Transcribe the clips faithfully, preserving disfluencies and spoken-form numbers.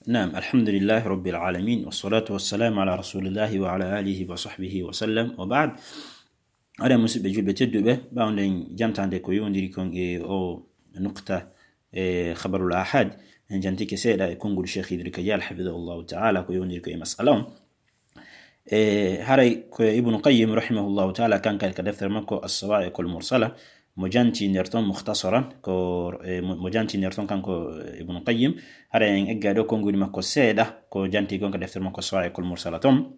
Naam, alhamdulillahi rabbil alamin, wassalatu wassalamu ala rasulillahi wa ala alihi wa sahbihi wa sallam, wa ba'd. Aɗa musidɓe julɓe tedduɓe, ɓawden jantande ko yowndiri kon e o nukta, e khabarul ahad, en jantike seeɗa e konngol Cheikh Idri Kadial, hafidahullahu ta'ala, ko yowndiri ko e masala on. E haray ko Ibnu Qayyim rahimahullahu ta'ala, kanko ka deftere makko As-Sawa'iqul Mursala, mo janti nder ton mukhtasaran, ko, e, mo, mo janti nder ton kanko, e, Ibnu Qayyim, haray en egga ɗo konngudi makko seeɗa, ko janti kon ka deftere makko As-Sawa'iqul Mursala ton.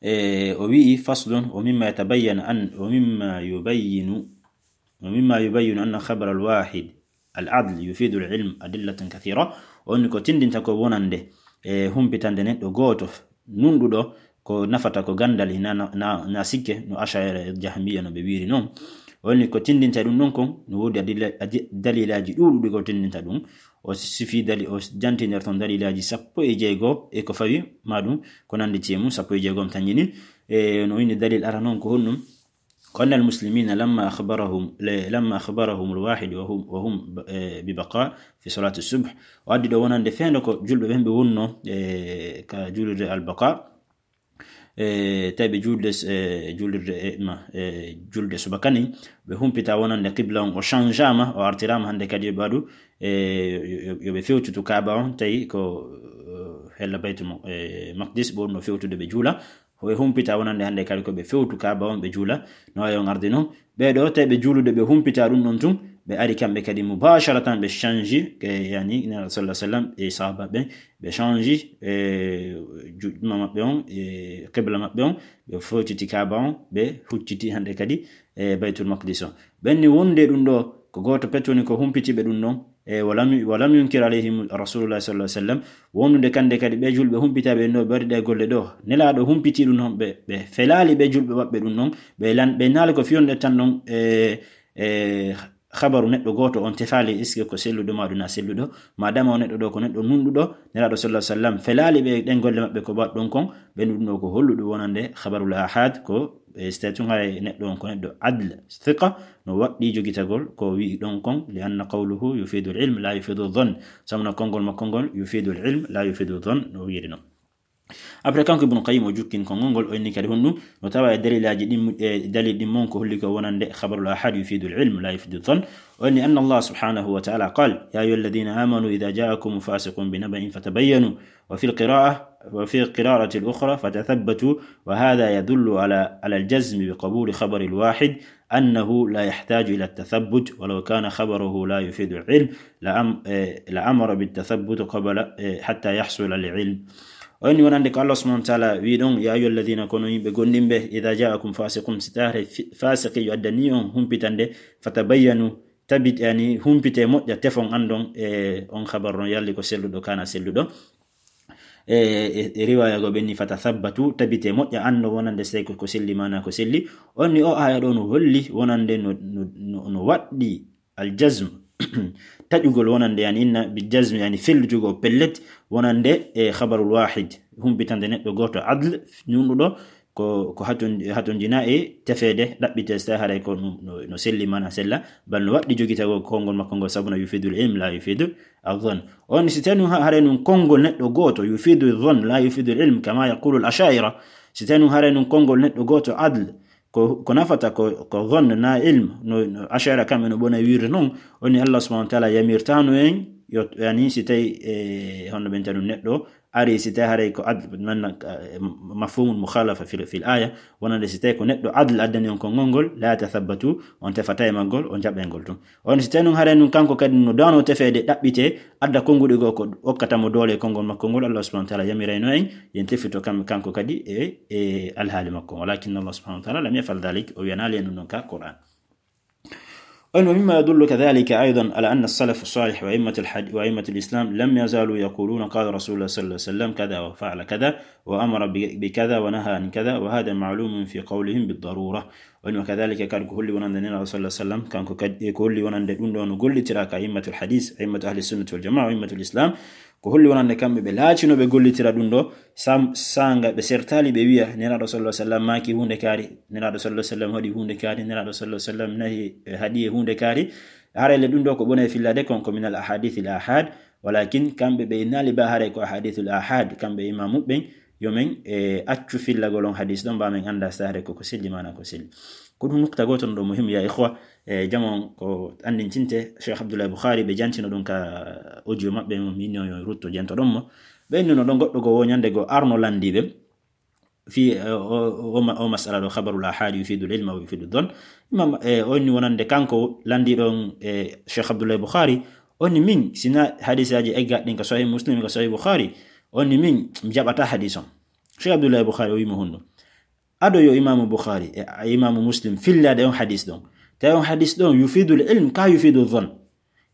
E, o wi'i, faslun, wa mimma yatabayyanu an, wa mimma yubayyinu, wa mimma yubayyinu anna khabar al-wahid al-adl yufidu al-ilm adillatun kathira. O woni ko tindinta ko wonande, e, humpitande neɗɗo gooto nunɗuɗo ko nafata ko gandal, hina na, na, na sikke no Asha'ira e Jahmiya no ɓe wiiri non. O woni ko tindinta ɗum ɗon kon, no woodi adilla-, adi-, dalilaaji ɗuuɗuɗi ko tindinta ɗum. O sifi dali-, o janti nder ton dalilaaji sappo e jeego e ko fawi ma ɗum, ko nandi e mum, sappo e jeego on tanƴini. E, no inni dalil ara non ko honɗum? Ko anna al-muslimina lamma akhbarahum, le-, lamma akhbarahum al-wahid wa hum, wa hum, e, bi baqa fi salati subh. O addi ɗo wonande feendo ko julɓe ɓen ɓe wonno, e, ka julirde al-baqa. E, tawi ɓe julde, e, julirde, e, ma, e, julde subaka ni, ɓe humpita wonande qibla on, o changeama, o artirama hande kadi yo ɓe waɗu, e, yo, yo, yo ɓe fewtutu Kaaba on, tawi ko, e, hella Baytul Mo-, e, Maqdis, ɓe wonno fewtude ɓe juula. Ɓe humpita wonande hande kadi ko ɓe fewtu Kaaba on, ɓe juula, no wayi on ardi non. Ɓee ɗo, tawi ɓe juulude, ɓe humpita ɗum ɗon tun, ɓe ari kamɓe kadi mubasharatan, ɓe change, e, yani, Nelaɗo sallallahu alaihi wasallam e sahaba ɓen, ɓe change, e, juɗɗuma maɓɓe on, e, qibla maɓɓe on, ɓe fewtiti Kaaba on, ɓe hucciti hande kadi, e, Baytul Maqdis on. Ɓen ni wonde ɗum ɗo, ko gooto pet woni ko humpiti ɓe ɗum ɗon, e, walam, walam yunkir alayhim Rasulullah sallallahu alaihi wasallam, wondude kande kadi ɓe julɓe humpitaaɓe ɗo ɓe waɗi ɗe golle ɗo. Nelaaɗo humpiti ɗum ɗon, ɓe, ɓe felaali ɓe julɓe maɓɓe ɗum ɗon, ɓe lan-, ɓe naali ko fiyonde tan ɗon, e, e, khabaru neɗɗo gooto on tefaali, est-ce que ko selluɗo ma ɗum na selluɗo? Madama o neɗɗo ɗo ko neɗɗo nunɗuɗo, Nelaaɗo sallallahu alaihi wasallam felaali ɓe ɗen golle maɓɓe ko baɗ ɗon kon, ɓe ɗum ɗo ko holluɗo wonande khabarul ahad ko e, si tawi tun haray neɗɗo on ko neɗɗo adl, thiqa, no waɗɗi jogitagol ko wi'i ɗon kon, li anna qawluhu yufidu al-ilm la yufidu dhann. Sabu no konngol makko ngol yufidu al-ilm la yufidu dhann, no wi'iri non. Après, kanko Ibnu Qayyim o jukkin konngol ngol, o inni kadi honɗum, no tawa e dalilaaji ɗin, e, dalil ɗin mon ko holli ko wonande khabarul ahad yufidu al-ilm la yufidu dhann. O inni anna Allah subhanahu wa ta'ala qal, ya ayyuhalladhina amanu idha ja'akum fasiqun binaba'in fatabayyanu. وفي القراءة، وفي القراءة الأخرى فتثبتوا، وهذا يدل على، على الجزم بقبول خبر الواحد أنه لا يحتاج إلى التثبت، ولو كان خبره لا يفيد العلم لأم-، إيه، لأمر بالتثبت قبل، إيه، حتى يحصل العلم. O inni wonande ko Allah subhanahu wa ta'ala wi ɗon, ya ayyuhalladhina, kono yimɓe gomɗinɓe, idha ja'akum fasiqun, si tawi fi-, fasiqi yo addani on humpitande, fatabayyanu, tabit-, yani, humpite moƴƴa, tefon andon, e, on khabar on yalli ko selluɗo, kana selluɗo. E, e, e riwaya go ɓenni, fatathabbatu, tabite moƴƴa, anndo wonande sey ko, ko selli, mana ko selli. On ni o aya ɗo no holli wonande no, no, no, no waɗɗi aljazm, taƴugol wonande, yani inna bi jazm, yani fellitugol pellet, wonande e khabarul wahid, humpitande neɗɗo gooto adl, nunɗuɗo, ko, ko haton-, hatonjina e tefeede, ɗaɓɓite so tawi haray ko no, no, no selli, mana sella, bal no waɗɗi jogitagol konngol makko ngol, sabu no yufidul ilm, la yufidu adh-dhann. On si tawi nun ha-, haray nun konngol neɗɗo gooto, yufidu dhann, la yufidu ilm, kama yaqulu al-asha'ira. Si tawi nun haray nun konngol neɗɗo gooto adl, ko, ko nafata ko, ko dhann na ilm, no, no asha'ira kamɓe no ɓona wiirde non, on ni Allah subhanahu wa ta'ala yamirtano en, yo, yani si tawi, e, honno ɓen tanu neɗɗo, ari si tawi haray ko adl, man, eh, mafhumul mukhalafa fil, fil aya, wonande si tawi ko neɗɗo adl addani on konngol ngol, la tathabbatu, on tefata e maggol, on jaɓa e ngol tun. On si tawi nun haray nun kanko kadi no dano tefeede ɗaɓɓite, adda konnguɗi goo ko okkata mo doole e konngol makko ngol, Allah subhanahu wa ta'ala yamirayno en, yen tefito kam, kanko kadi e, e alhaali makko. Walakin Allah subhanahu wa ta'ala lam yaf'al dhalik, o wiyanaali en ɗum ɗon ka Qur'an. On, ومما يدل كذلك أيضا على أن السلف الصالح وأئمة الحد-، وأئمة الإسلام لم يزالوا يقولون قال رسول الله صلى الله عليه وسلم كذا وفعل كذا وأمر ب-، بكذا ونهى عن كذا، وهذا معلوم في قولهم بالضرورة. On, وكذلك kadi ko holli wonande Nelaaɗo sallallahu alaihi wasallam, kanko kadi, ko holli wonande ɗum ɗo no gollitira ka a'immatul hadith, a'immatu ahli sunnati wal jamaa, a'immatul islam, ko holli wonande kamɓe ɓe laatinooɓe gollitira ɗum ɗo, sam-, sanga ɓe sertaali ɓe wiya, Nelaaɗo sallallahu alaihi wasallam maaki huunde kaari, Nelaaɗo sallallahu alaihi wasallam haɗi huunde kaari, Nelaaɗo sallallahu alaihi wasallam nahi, eh, haɗi e huunde kaari. Haray le ɗum ɗo ko ɓone e fillade kon ko minal ahadithil ahad, Walakin kamɓe ɓe innaali ba haray ko ahadithul ahad, kamɓe imaamu ɓen, yo men, e, accu fillagol on hadis ɗon, ba men annda si haray ko ko selli maana ko selli. Ko ɗum nukta gooto no ɗo muhim, ya ikhwa, e, jama on ko anndintinte, Cheikh Abdullah Bukhari, ɓe jantino ɗum ka audio maɓɓe, mo minno yo rutto janto ɗon mo. Ɓe innuno ɗon goɗɗo go wo ñande go arno landiiɓe fi, e, o, o, o ma-, o masala ɗo, khabarul ahad yufidul ilma wa yufidul dhann. Imam, e, o inni wonande kanko landiiɗo on, e, Cheikh Abdullah Bukhari, o inni min, sina hadisaaji eggaɗin ka Sahih Muslim, ka Sahih Bukhari, o inni min, mi jaɓata hadis on. Cheikh Abdullah Bukhari o wi mo honno? Ado yo Imaamu Bukhari e, e Imaamu Muslim fillade on hadis ɗon. Tawi on hadis ɗon yufidul ilm ka yufidul dhann.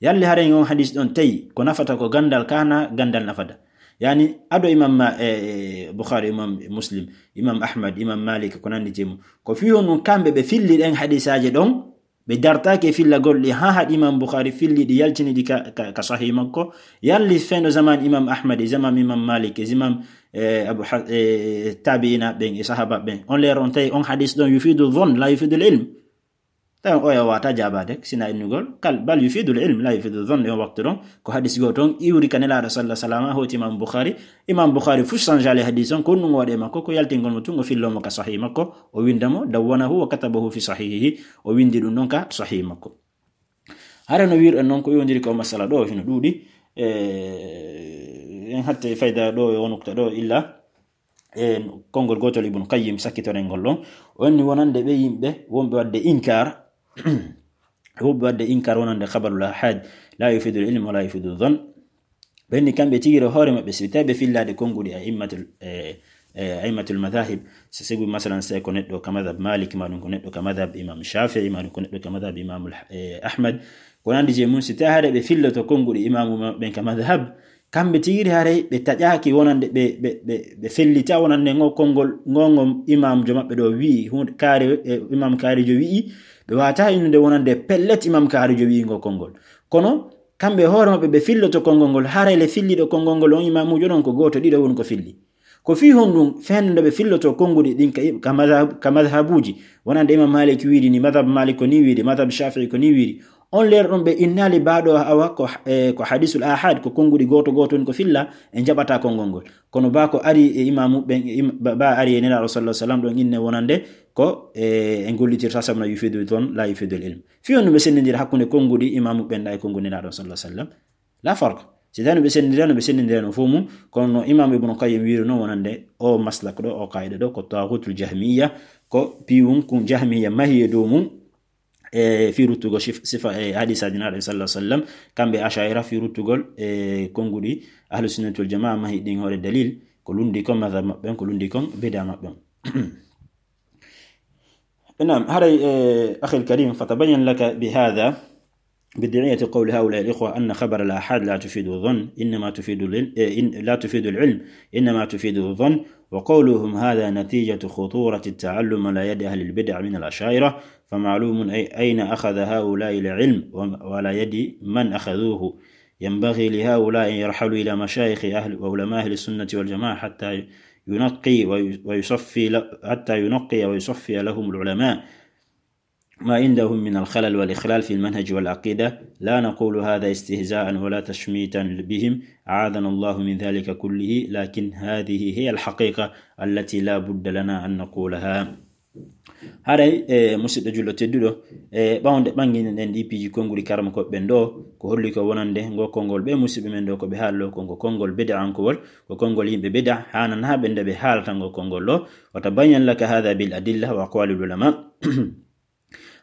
Yalli haren on hadis ɗon tawi ko nafata ko gandal ka na gandal nafata. Yani ado Imam ma-, e, e, Bukhari, Imam Muslim, Imam Ahmad, Imam Malik, ko nandi temu. Ko fi honɗum kamɓe ɓe filli ɗen hadisaaji ɗon, ɓe dartaake fillagol ɗi, ha haɗi Imam Bukhari filli ɗi, yaltini ɗi ka, ka, ka Sahih makko. Yalli fendo zaman Imam Ahmad, e zaman Imam Malik, e zaman, e, Abu Ha-, e, tabi'ina ɓen, e sahaba ɓen. On leer on tawi on hadis ɗon yufidul dhann, la yufidul ilm. Tawi on oya wata jaabade, sina innugol, kal, bal yufidul ilm, la yufidul dhann, e on waktu ɗon, ko hadis go ton, iwri ka Nelaaɗo sallallahu alaihi wasallam, hoti Imam Bukhari. Imam Bukhari fu sanjali hadis on, ko ɗum waɗe makko, ko yaltingol mo tun, o fillo mo ka Sahih makko, o winda mo, dawwanahu wa katabahu fi sahihihi, o windi ɗum ɗon ka Sahih makko. Hare no wirɗen noon ko yowndiri ko masala ɗo hino ɗuuɗi. E, en hatte fayda ɗo e o nukta ɗo illa e konngol gootol Ibn Qayyim sakkitoren ngol ɗon. O inni wonande ɓe yimɓe wonɓe waɗde inkar, wonɓe waɗde inkar wonande khabarul ahad, la yufidul ilm wa la yufidul dhann. Ɓenni kamɓe tigi ɗo hoore maɓɓe, si tawi ɓe fillaade konnguɗi a'immatul, e, e, a'immatul madhahib, so sibu masalan, si ko neɗɗo ka madhab Malik, ma ɗum ko neɗɗo ka madhab Imam Shafi'i, ma ɗum ko neɗɗo ka madhab Imam, e, Ahmad, ko nandi je mum, si tawi haɗa ɓe filloto konnguɗi imamu maɓɓen ka madhab, kamɓe tigi haray ɓe taƴaaki wonande ɓe, ɓe, ɓe, ɓe fellita wonande ngo konngol, ngo, ngo imamjo maɓɓe ɗo wi'i, hunde kaari, e, imam kaarijo wi'i, ɓe wata innude wonande pellet imam kaarijo wi'i ngo konngol. Kono kamɓe hoore maɓɓe ɓe filloto konngol ngol, haray le filliɗo konngol ngol on imamujo ɗon ko gooto, ɗiɗo woni ko filli. Ko fii honɗum fende nde ɓe filloto konnguɗi ɗin ka, ka madhab, ka madhabuji, wonande Imam Malik wiiri ni, madhab Malik ko ni wiiri, madhab Shafi'i ko ni wiiri. On leer ɗum ɓe innaali baaɗo awa ko, e, ko hadisul ahad, ko konnguɗi gooto gooto woni ko filla, en jaɓata konngol ngol. Kono ba ko ari e imamu ɓen, im-, ba, ba ari e Nelaaɗo sallallahu alaihi wasallam ɗon inne wonande ko, e, en gollitirta sabuna yufidul dhann, la yufidul ilm. Fii honɗum ɓe senndindira hakkunde konnguɗi imamu ɓen ɗa e konnguɗi Nelaaɗo sallallahu alaihi wasallam? La farq. Si tawii no ɓe senndindirano, ɓe senndindirano fof mum, kono no Imam Ibn Qayyim wiiri noon wonande o maslak ɗo, o qaida ɗo, ko taagutul jahmiya, ko piiwum kun jahmiya mahi e dow mum, e fii ruttugol sif-, sifa e hadisaaji Nelaaɗo sallallahu alaihi wasallam, kamɓe Asha'ira fii ruttugol e konnguɗi Ahlu Sunnati wal Jamaa mahi ɗin hoore dalil, ko lundi kon madhab maɓɓe on, ko lundi kon bid'a maɓɓe on. نعم، هذا، آه، أخي الكريم، فتبين لك بهذا بدعية قول هؤلاء الإخوة أن خبر الآحاد لا تفيد الظن، إنما تفيد العلم، آه، إن-، لا تفيد العلم، إنما تفيد الظن، وقولهم هذا نتيجة خطورة التعلم على يد أهل البدع من الأشاعرة، فمعلوم أي-، أين أخذ هؤلاء العلم وم-، وعلى يد من أخذوه. ينبغي لهؤلاء أن يرحلوا إلى مشايخ أهل وعلماء أهل السنة والجماعة حتى ينقي وي-، ويصفي ل-، حتى ينقي ويصفي لهم العلماء ما عندهم من الخلل والإخلال في المنهج والعقيدة. لا نقول هذا استهزاء ولا تشميتا بهم، أعاذنا الله من ذلك كله، لكن هذه هي الحقيقة التي لا بد لنا أن نقولها. Haray, e, musidɗo julɗo tedduɗo, e, ɓawnde ɓannginen ɗen ɗi piiji konnguɗi karamokooɓe ɓen ɗo, ko holli ko wonande ngo konngol ɓe musidɓe men ɗo ko ɓe haallo ko ngo konngol bid'ankowol, ko konngol yimɓe bid'a, haananaa ɓe nde ɓe haalata ngo konngol ɗo. وتبين لك هذا بالأدلة وأقوال العلماء.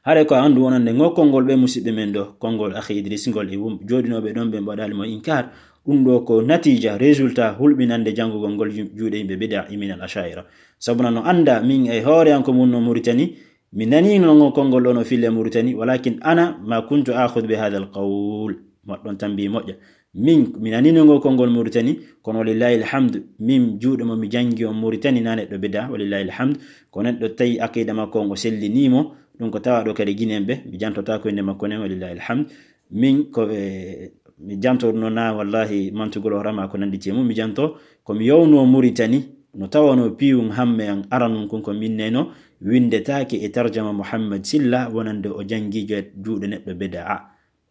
Haray ko a anndu wonande ngo konngol ɓe musidɓe men ɗo, konngol akhi Idris ngol e wum-, jooɗinooɓe ɗon ɓe mbaɗaali mo inkar, ɗum ɗo ko natiija, résultat, hulɓinande janngugol ngol ju-, juuɗe yimɓe bid'a e minal Asha'ira. Sabuna no annda min e hoore an ko mun no Muritani, mi naniino ngo konngol ɗo no fille Muritani, walakin ana ma kuntu akhudh bi hadha al qawl. Moɗɗon tambi moƴƴa. Min, mi naniino ngo konngol Muritani, kono walillahi alhamd, min juuɗe mo mi janngi on Muritani na neɗɗo bid'a, walillahi alhamd, ko neɗɗo tawi aqida makko on o sellini mo, ɗum ko tawa ɗo kadi Ginen ɓe, mi jantotaako innde makko nen, walillahi alhamd. Min ko, e, mi janto no na wallahi mantugol o rama ko nandi e mum, mi janto ko mi yowno Muritani, no tawano piiwum hamme an aranun kun ko min neno, windetaake e tarjama Muhammad Silla wonande o janngi je-, juuɗe neɗɗo bid'a.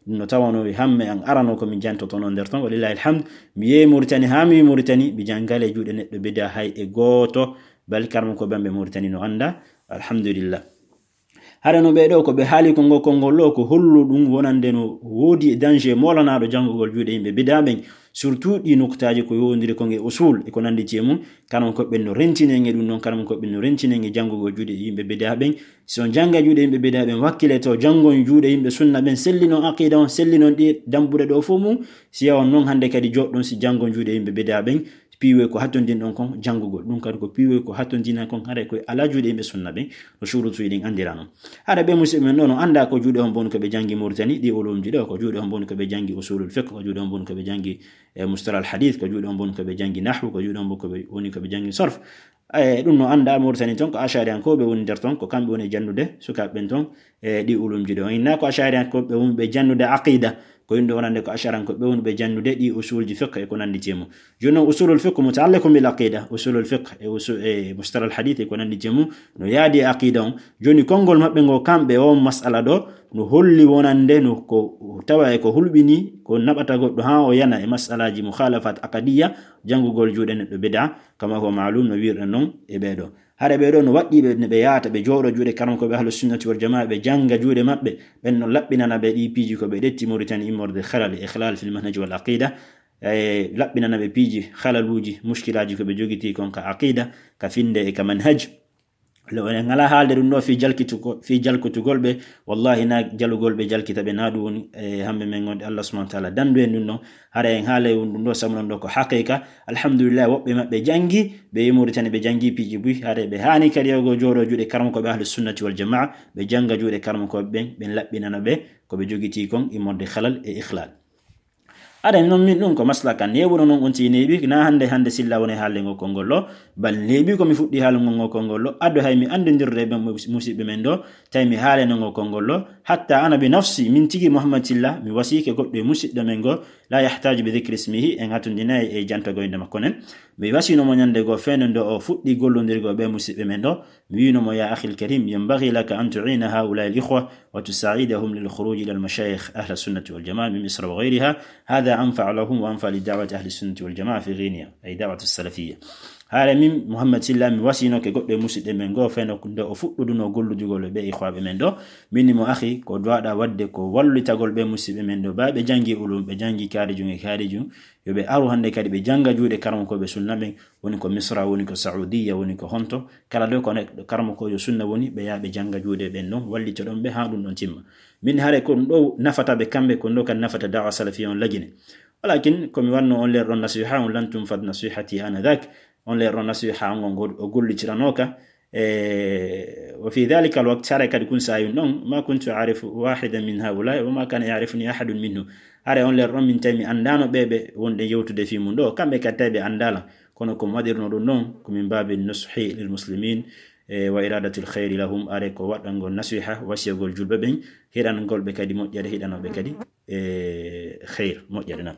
Ɗum no tawanoo hamme an arano ko min jantotono nder ton, walillahi alhamd. Mi yehi Mauritanie, haa mi wi Mauritanie, mi janngale juuɗe neɗɗo bida hay e gooto, bal karmo ko ɓen ɓe Mauritanie no annda, alhamdulillah. Hara no ɓee ɗoo ko ɓe haali konngol, konngol ɗoo ko hollu ɗum wonande no woodi e danger moolanaaɗo janngugol juuɗe yimɓe bida ɓen, surtout ɗi nuktaaji ko yowondiri kon e usul e ko nanndi e mum. Karmo ko ɓen no rentinenge ɗum ɗon, karmo ko ɓen no rentinenge janngugol juuɗe yimɓe bida ɓen. Si on jannga juuɗe yimɓe bida ɓen, wakkile to janngon juuɗe yimɓe sunna ɓen, sellinon aqida on, sellinon ɗi dambuɗe ɗoo fof mum. Si yawon non hannde kadi joɗɗon si janngon juuɗe yimɓe bida ɓen, piiwe ko hattondin ɗon kon janngugol. Ɗum kadi ko piiwe ko hattondina kon haray koye ala juuɗe yimɓe sunna ɓen, no shurutuji ɗin anndira non. Hara ɓe musidɓe men ɗo no annda ko juuɗe on boni ko ɓe janngi Mauritanie, ɗi ulumji ɗo, ko juuɗe on boni ko ɓe janngi usulul fiqh, ko juuɗe on boni ko ɓe janngi, e, mustalah al hadith, ko juuɗe on boni ko ɓe janngi nahwu, ko juuɗe on boni ko ɓe, woni ko ɓe janngi sarf. E, ɗum no annda Mauritanie ton ko ashariyankooɓe woni nder ton, ko kamɓe woni e janndude sukaaɓe ɓen ton, e, ɗi ulumji ɗo. Inna ko ashariyankooɓe woni ɓe janndude aqida, ko yimɓe wonande ko ashariyankooɓe woni ɓe janndude ɗi usulji fiqh e ko nanndi e mum. Jooni non usulul fiqh mutaalliqun bil aqida, usulul fiqh e usu-, e mustalah al hadith e ko nanndi e mum, no yaadi e aqida on. Jooni konngol maɓɓe ngo kamɓe on masala ɗo, no holli wonande no ko tawa e ko hulɓini, ko naɓata goɗɗo haa o yana e masalaaji mukhalafat aqadiyya, janngugol juuɗe neɗɗo bida, kama ko maalum no wiirɗen non e ɓee ɗoo. Hara ɓee ɗoo no waɗɗii ɓe, ne ɓe yaata, ɓe jooɗo juuɗe karmo ko ɓe ahlu sunnati wal jamaa, ɓe jannga juuɗe maɓɓe, ɓen no laɓɓinana ɓe ɗi piiji ko ɓe ɗetti Mauritanie immorde halal e ikhlal fil manhaj wal aqida, e laɓɓinana ɓe piiji halaluuji, mushkilaaji ko ɓe jogitii kon ka aqida, ka finnde e ka manhaj. Le woni ngala haalde ɗum ɗo fii jalkitugol, fii jalkitugol ɓe, wallahi na jalugol ɓe jalkita ɓe, na ɗum woni, e, hamɓe men wonde Allah subhanahu wa ta'ala dandu en ɗum ɗo. Hara en haala e ɗum ɗo, sabu non ɗo ko haqiqa. Alhamdulillah, woɓɓe maɓɓe janngi, ɓe yi Mauritanie ɓe janngi piiji buy, hara ɓe haani kadi yogo jooɗo juuɗe karmo ko ɓe ahlu sunnati wal jamaa, ɓe jannga juuɗe karmo ko ɓen, ɓen laɓɓinana ɓe ko ɓe jogitii kon immorde halal e ikhlal. Aɗa non min ɗum ko maslakan neeɓuno non on tii neeɓi, na hannde hannde silla woni haalde ngo konngol ɗo, bal neeɓi ko mi fuɗɗi haalugol ngo konngol ɗo, ado hay mi anndidirde e ɓen mus-, musiɓɓe men ɗo, tawi mi haaleno ngo konngol ɗo, hatta ana bi nafsi, min tigi Muhammad Silla, mi wasiike goɗɗo e musiɗɗo men ngo, la yahtaju bi dhikri ismihi, en hatundinayi e jantogo innde makko nen. Mi wasino mo ñande goo fenndo o fuɗɗi gollondirgo ɓe musiɓɓe men ɗo, mi wiino mo, "Ya akhil karim, yanbaghi laka an tu'ina haula'i al-ikhwa wa tusa'idahum lil khuruj ila al-mashayikh ahli sunnati wal jamaa min Misra wa ghayriha. Hadha anfa'u lahum wa anfa'u li da'wati ahli sunnati wal jamaa fi Ghinia, ay da'wati salafiyya." Haare min, Muhammad Silla, mi wasinoke goɗɗo e musiɗɗo men goo, fenndo nde o fuɗɗuduno golludugol e ɓe ikhwaɓe men ɗo. Min mo akhi, ko duwaɗa waɗde ko wallitagol ɓe musiɓɓe men ɗo, ba ɓe janngi ulum, ɓe janngi kaarijum e kaarijum, yo ɓe aru hannde kadi ɓe jannga juuɗe karamokooɓe sunna ɓen, woni ko Misra, woni ko Saudiya, woni ko honto, kala ɗo ko neɗɗo karamokoojo sunna woni, ɓe yaha ɓe jannga juuɗe ɓen ɗon, wallitoɗon ɓe haa ɗum ɗon timma. Min hare ko ɗum ɗo nafata ɓe kamɓe, ko ɗum ɗo kadi nafata da'wa salafiyya on Lagine. Walakin ko mi wanno on leer ɗon nasiha on, lan tunfad nasihati anadhak, on leer ɗon nasiha on, on gol-, o gollitiranooka, E, wa fi dhalika alwaqt, hare kadi kun saayun ɗon, ma kuntu a'rifu wahidan min haula wa ma kana ya'rifuni ahadun minhu. Hare on leer ɗon min tawi mi anndaano ɓe ɓe wonɗen yewtude fii mun ɗo, kamɓe kadi tawi ɓe anndaala. Kono ko mi waɗirno ɗum ɗon, ko min baabi nushi lil muslimin, e, wa iradatil khayri lahum, are ko waɗangol nasiha, wasiyagol julɓe ɓen, hiɗangol ɓe kadi moƴƴere, hiɗanoo ɓe kadi, e, khayr, moƴƴere nan.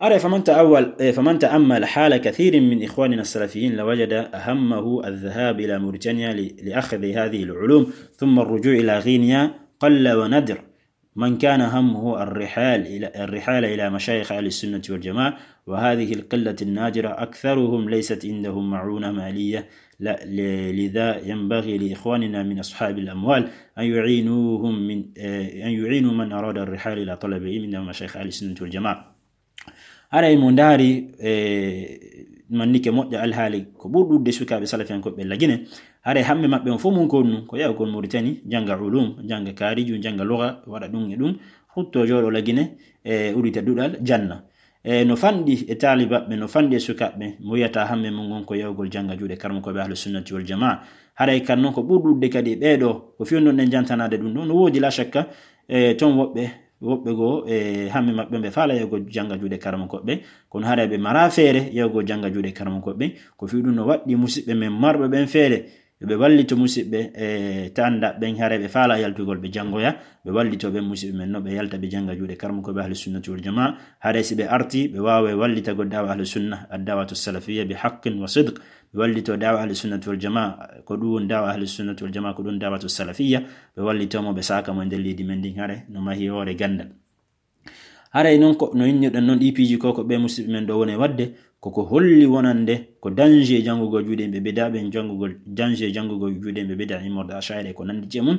Are, فمن تأول، إيه، فمن تأمل حال كثير من إخواننا السلفيين لوجد أهمه الذهاب إلى موريتانيا ل-، لأخذ هذه العلوم، ثم الرجوع إلى غينيا قل ونادر. من كان همه الرحال إلى، الرحال إلى مشايخ أهل السنة والجماعة، وهذه القلة النادرة أكثرهم ليست عندهم معونة مالية، ل-، ل-، لذا ينبغي لإخواننا من أصحاب الأموال أن يعينوهم من، إيه، أن يعينوا من أراد الرحال إلى طلب العلم من مشايخ أهل السنة والجماعة. Haray mo ndaari, e, mannike moƴƴa alhaali ko ɓuri ɗuuɗude sukaaɓe salafiyankooɓe Lagine, haray hamme maɓɓe on fof mun ko ɗum, ko yahugol Mauritanie, jannga ulum, jannga kaariju, jannga lugha, waɗa ɗum e ɗum, hutto jooɗo Lagine, e, uddita duɗal, janna. E, no fanɗi e taalibaɓe, no fanɗi e sukaaɓe, mo wiyata hamme mun ngon ko yahugol jannga juuɗe karamokooɓe Ahlu Sunnati wal Jamaa. Haray kan non ko ɓuri ɗuuɗude kadi e ɓee ɗoo, ko fewndo ɗen jantanaade ɗum ɗoo, no woodi la shakka, e, ton woɓɓe, woɓɓe goo, e, hamme maɓɓe ɓe faala yahugol jannga juuɗe karamokooɓe, kono haray ɓe maraa feere yahugol jannga juuɗe karamokooɓe. Ko fii ɗum no waɗɗii musiɓɓe men marɓe ɓen feere, ɓe wallito musidɓe e taandaɓe ɓen, hare ɓe faala yaltugol ɓe janngoya, ɓe wallito ɓen musidɓe men no ɓe yalta ɓe jannga juuɗe karmukooɓe ahli sunnati wal jamaa. Hare si ɓe arti, ɓe waawa wallitagol da'wa ahli sunna, ad-da'watu salafiyya bi haqqin wa sidq. Ɓe wallito da'wa ahli sunnati wal jamaa, ko ɗum woni da'wa ahli sunnati wal jamaa, ko ɗum da'watu salafiyya. Ɓe wallito mo, ɓe saaka mo e nder leydi men ndin, hare no mahi hoore ganndal. Haray non ko no innirɗen non ɗii piiji ko, ko ɓe musidɓe men ɗo woni waɗde, koko holli wonande ko danger janngugol juuɗe yimɓe bida ɓen, janngugol, danger janngugol juuɗe yimɓe bida immorde Asha'ira e ko nanndi e mum.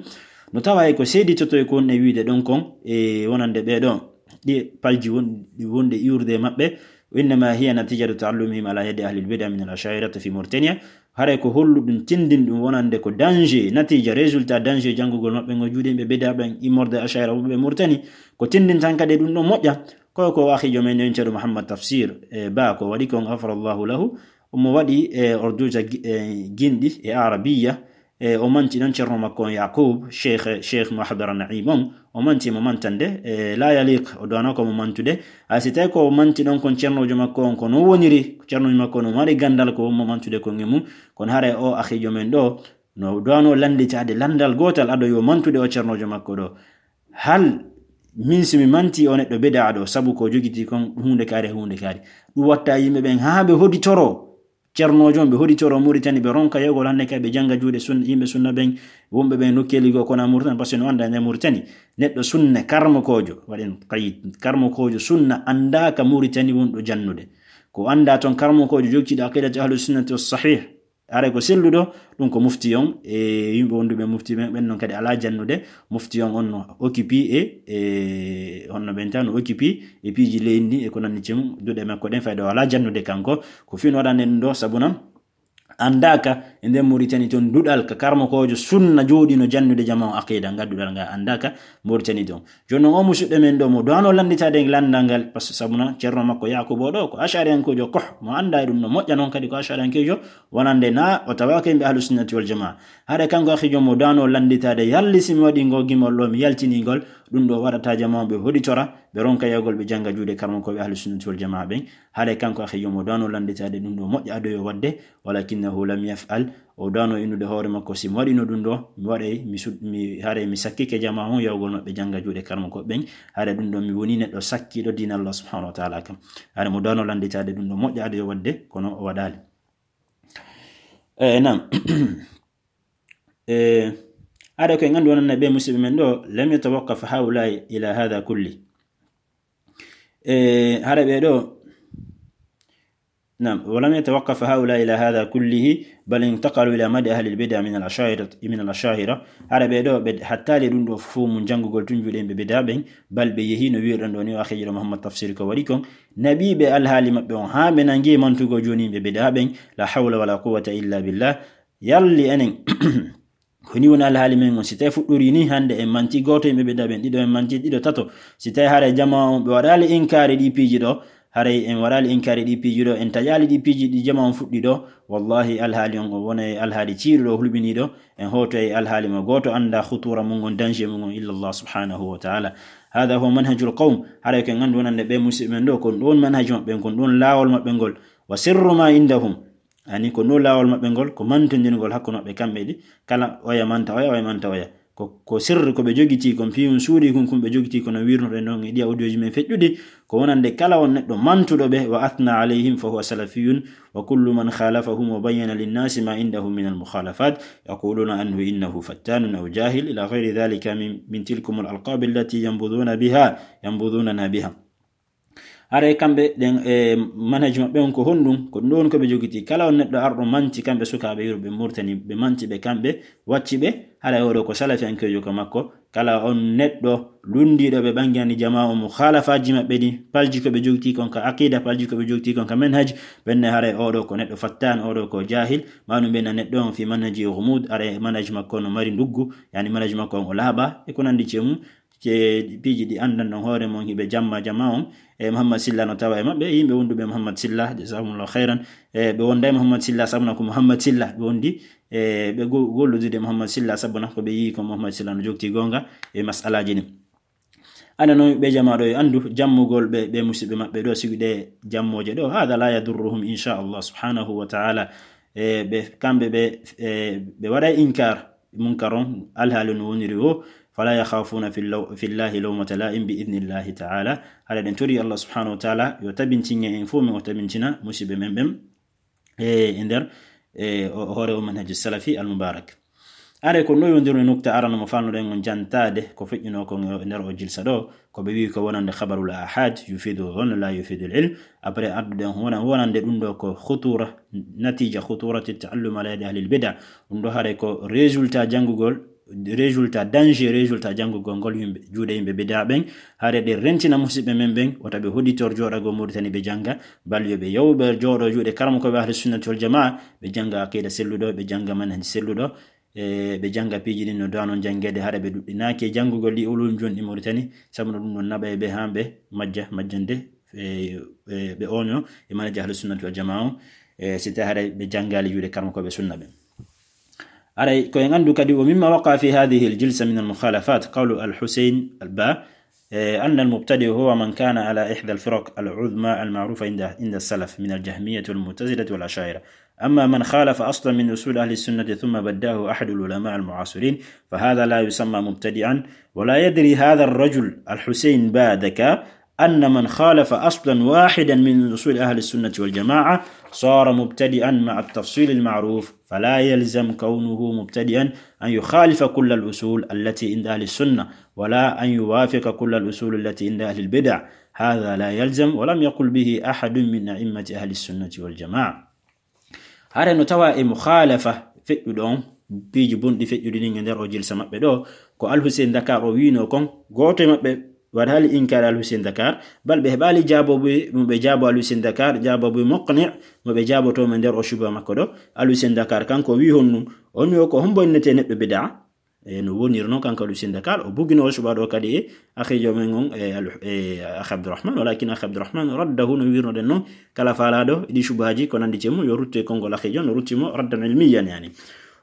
No tawa e ko seeditoto e ko woni e wiide ɗon kon, e wonande ɓee ɗo, ɗi palji won-, ɗi wonɗi iwrude e maɓɓe, innama hiya natijatu ta'allumihim ala yadi ahli al-bid'a min al-Asha'irati fi Mauritania. Haray ko holluɗum, tindinɗum wonande ko danger, natija, résultat danger janngugol maɓɓe ngo juuɗe yimɓe bida ɓen, immorde Asha'ira wonɓe Mauritanie. Ko tindin tan kadi ɗum ɗon moƴƴa, ko, ko akhijo men en ceerno Muhammad Tafsir, e, Ba, ko waɗi kon, ghafarallahu lahu, omo waɗi, e, orduuja gi-, e, ginɗi e Arabiya, e, o manti ɗon ceerno makko on Yaqub, Cheikh, Cheikh Mahdara Naim on, o manti mo mantande, e, la yaliq, o duwano ko mo mantude. A si tawi ko o manti ɗon kon ceernoojo makko on, ko no woniri, ceernoojo makko no mari ganndal ko mo mantude kon e mum, kono haray o akhijo men ɗo, no duwano lannditaade lanndal gootal ado yo mantude o ceernoojo makko ɗo. Hal min si mi manti o neɗɗo bida ɗo, sabu ko jogiti kon huunde kaari, huunde kaari. Ɗum watta yimɓe ɓen haa ɓe hoditoro ceernoojo on, ɓe hoditoro Mauritanie, ɓe ronka yogol hannde kay ɓe jannga juuɗe sunna, yimɓe sunna ɓen, wonɓe ɓen nokkeeli goo kono Mauritanie, parce que no annda nder Mauritanie, neɗɗo sunna karmokoojo, waɗen qayid, karmokoojo sunna anndaaka Mauritanie wonɗo jannude. Ko annda toon karmokoojo jogtiiɗo aqidatu ahlu sunnati was sahih, haray ko selluɗo, ɗum ko mufti on, e yimɓe wonduɓe mufti ɓen, ɓen non kadi alaa jannude. Mufti on on no occupé e, e honno ɓen tan no occupé e piiji leydi ndi e ko nanndi e mum, duɗe makko ɗen fayda o alaa jannude kanko. Ko fii no waɗande ɗum ɗo, sabu non anndaaka e nder Mauritanie toon duɗal ka karmokoojo sunna jooɗino jannude jamaa on aqida, ngal duɗal ngal anndaaka Mauritanie toon. Jooni non, o musidɗo men ɗo mo duwano lannditaade lanndal ngal, parce que sabu non ceerno makko Yakuba o ɗo, ko Ash'ariyankeejo koh, mo annda e ɗum no moƴƴa non kadi ko Ash'ariyankeejo wonande na o tawaaka yimɓe ahlu sunnati wal jamaa. Haray kanko akhijo mo duwano lannditaade, yalli si mi waɗi ngol gimol ɗo, mi yaltini ngol, ɗum ɗo waɗata jamaa ɓe hoditora, ɓe ronka yogol ɓe jannga juuɗe karmokooɓe ahlu sunnati wal jamaa ɓen. Haray kanko akhijo mo duwano lannditaade ɗum ɗo moƴƴa ado yo waɗde, walakinnahu lam yaf'al, o duwano innude hoore makko, si mi waɗino ɗum ɗo, mi waɗay, mi sud-, mi, haray mi sakkike jamaa on yawgol maɓɓe jannga juuɗe karmokooɓe ɓen, haray ɗum ɗo mi woni neɗɗo sakkiiɗo diina Allah subhanahu wa ta'ala kam. Haray mo duwano lannditaade ɗum ɗo moƴƴa ado yo waɗde, kono o waɗaali. E, naam. E, haray ko en anndu wonande ɓe musidɓe men ɗo, lam yatawaqqaf haula ila hadha kulli. E, haray ɓe ɗo, نعم، ولم يتوقف هؤلاء إلى هذا كله، بل انتقلوا إلى مدح أهل البدع من الأشاعرة، من الأشاعرة. Hara ɓe ɗo, ɓe hattaali ɗum ɗo fof mum janngugol tun juuɗe yimɓe bida ɓen, bal ɓe yehi no wi'irɗon ɗo ni o akhijo ɗo Muhammad Tafsir ko waɗi kon, naɓiiɓe alhaali maɓɓe on, haa ɓe nangi mantugol jooni yimɓe bida ɓen, la hawla wala quwwata illa billah. Yalli enen, ko ni woni alhaali men on. Si tawi fuɗɗori ni, hannde en manti gooto yimɓe bida ɓen, ɗiɗo en manti, ɗiɗo, tato. Si tawi haray jamaa on ɓe waɗaali inkaari ɗi piiji ɗo, haray en waɗaali inkaari ɗi piiji ɗo, en taƴaali ɗi piiji ɗi jamaa on fuɗɗi ɗo, wallahi alhaali on o wona e alhaali ciiruɗo, hulɓiniiɗo, en hooto e alhaali mo gooto annda khutuura mum on, danger mum on, illa Allah subhanahu wa ta'ala. Hada huwa manhajul qawm. Haray ko en anndu wonande ɓe musidɓe men ɗo, kon ɗon manhaj maɓɓe, kon ɗon laawol maɓɓe ngol. Wa sirru ma indahum. Ani ko no laawol maɓɓe ngol, ko mantondirgol hakkunde maɓɓe kamɓe ɗi, kala oya manta oya, oya manta oya. Ko, ko sirri ko ɓe jogitii kon, fii on suuɗii kon, kun ɓe jogitii kono wirnuɗen ɗon e ɗiya audio ji men feƴƴuɗi, ko wonande kala on neɗɗo mantuɗo ɓe, wa athna alayhim fa huwa salafiyun, wa kullu man khalafahum wa bayyana linnasi ma indahum min al-mukhalafat, yaquluna anhu innahu fattanun aw jahil, ila ghayri dhalika min, min tilkum al-alqab allati yanbudhuna biha, yanbudhunana biha. Haray kamɓe ɗen e manhaj maɓɓe on ko honɗum? Ko ɗum ɗon ko ɓe jogitii. Kala on neɗɗo arɗo manti kamɓe sukaaɓe yurɓe Murtani, ɓe manti ɓe kamɓe, wacci ɓe, haray oɗo ko salafiyankeejo ka makko. Kala on neɗɗo lunndiiɗo ɓe ɓangani jamaa o mukhalafaji maɓɓe ɗi, palji ko ɓe jogitii kon ka aqida, palji ko ɓe jogitii kon ka manhaj, ɓenne haray oɗo ko neɗɗo fattan, oɗo ko jahil, ma ɗum ɓenna neɗɗo on fi manhaji ghumud, haray manhaj makko no mari nduggu, yani manhaj makko on o laaɓa, e ko nanndi e mum. Ce piiji ɗi anndan ɗon hoore mon hiɓe jamma jama on. E Muhammad Silla no tawa e maɓɓe, yimɓe wonduɓe Muhammad Silla, jazakumullahu khairan. E ɓe wonda e Muhammad Silla, sabuna ko Muhammad Silla ɓe wondi. E ɓe go-, golludude Muhammad Silla, sabuna ko ɓe yii ko Muhammad Silla no jogti goonga e mas'alaaji ɗin. Ana noon ɓe jama ɗo e anndu jammugol ɓe, ɓe musiɓɓe maɓɓe ɗo, siwi ɗe jammooje ɗo, hada la yadurruhum, insha Allah subhanahu wa ta'ala. e ɓe, kamɓe ɓe, e ɓe waɗa inkar munkar on, alhaali no woniri o, fala yakhafuna fi law-, fi llahi lawmata la'im bi idnillahi ta'ala. Haɗa ɗen tori Allah subhanahu wa ta'ala yo tabintinge en fof, men o tabintina musiɓɓe men ɓen, e, e nder, e, o, hoore o manhaj salafi al mubarak. Are ko no yondirno nukta arano mo falnoɗen on jantade ko feƴƴuno kon e nder o jilsa ɗo, ko ɓe wi ko wonande khabarul ahad, yufidu dhann la yufidu al ilm. Après adduɗen wona-, wonande ɗum ɗo ko khutura, natija khuturati ta'allum ala yadi ahli al bid'a. Ɗum ɗo hare ko résultat janngugol, résultat danger, résultat janngugol ngol yimɓe, juuɗe yimɓe bid'a ɓen. Hare ɗe rentina musiɓɓe men ɓen, wota ɓe hoditor jooɗago Mauritanie ɓe jannga, bal yo ɓe yaw ɓe jooɗo juuɗe karamoko ɓe ahli sunnati wal jamaa, ɓe jannga aqida selluɗo, ɓe jannga manhaj selluɗo, e ɓe jannga piiji ɗin no dano janngede, hara ɓe ɗuɗɗinaaki e janngugol ɗi ulum jonɗi Mauritanie, sabu no ɗum ɗon naɓa e ɓe haa ɓe majja, majjande, e, e ɓe oño e manhaj ahli sunnati wal jamaa o, e si tawi hara ɓe janngaali juuɗe karamoko ɓe sunna ɓen. Aray, ko en anndu kadi, ومما وقع في هذه الجلسة من المخالفات قول الحسين البا، إيه، أن المبتدع هو من كان على إحدى الفرق العظمى المعروفة عند، عند السلف من الجهمية والمعتزلة والأشاعرة. أما من خالف أصلا من أصول أهل السنة ثم بدعه أحد العلماء المعاصرين فهذا لا يسمى مبتدعا، ولا يدري هذا الرجل الحسين با ذكاء أن من خالف أصلا واحدا من أصول أهل السنة والجماعة صار مبتدعا مع التفصيل المعروف، فلا يلزم كونه مبتدعا أن يخالف كل الأصول التي عند أهل السنة، ولا أن يوافق كل الأصول التي عند أهل البدع. هذا لا يلزم، ولم يقل به أحد من أئمة أهل السنة والجماعة. Hare no tawa e mukhalafa feƴƴuɗo on, piiji bonɗi feƴƴuɗi ɗin e nder o jilsa maɓɓe ɗo, ko Al Hussein Dakar o wiino kon, gooto e maɓɓe waɗaali inkaari Al Hussein Dakar, bal ɓe heɓaali jaabooɓe mo ɓe jaabo Al Hussein Dakar, jaabooɓe muqni' mo ɓe jaaboto mo nder o shuba makko ɗo. Al Hussein Dakar kanko wi honɗum, on yo ko hombo innete neɗɗo bid'a? E no woniri non kanko Al Hussein Dakar, o bugino o shuba ɗo kadi e akhijo men on, e Al-, e Akhi Abdourahmane, walakin Akhi Abdourahmane raddahu no wirnoɗen non, kala faalaɗo e ɗi shubaji ko nandi e mum, yo rutto e konngol akhijo, no rutti mo raddan ilmiyan yani.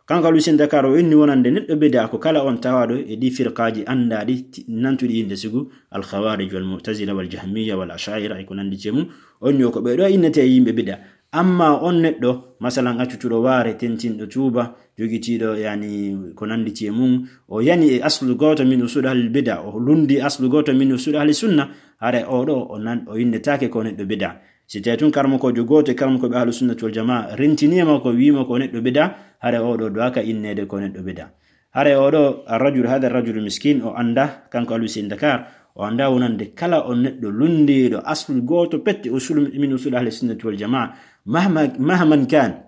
Kanko Al Hussein Dakar o inni wonande neɗɗo bid'a ko kala on tawaɗo e ɗi firqaji andaɗi ti-, nantuɗi innde sigu, Al Khawarij wal Mu'tazila wal Jahmiya wal Asha'ira e ko nandi e mum, on yo ko ɓe ɗo innete yimɓe bid'a. Amma on neɗɗo, masalan, accutuɗo waare, tentinɗo tuuba, jogitiiɗo, yani, ko nandi e mum, o yani e aslu gooto min usul ahli bid'a, o lundi aslu gooto min usul ahli sunna, hare o ɗo, o nan-, o innetaake ko neɗɗo bid'a. Si tawi tun karamokoojo gooto e karamokooɓe ahlu sunnati wal jamaa rentini e makko, wiimo ko neɗɗo bid'a, hare o ɗo duwaaka inneede ko neɗɗo bid'a. Hare o ɗo, arrajul, hada arrajul miskin, o annda, kanko Al Hussein Dakar, o annda wonande kala on neɗɗo lundiiɗo aslu gooto pet e usul, min usul ahli sunnati wal jamaa, mahma, mahman kan,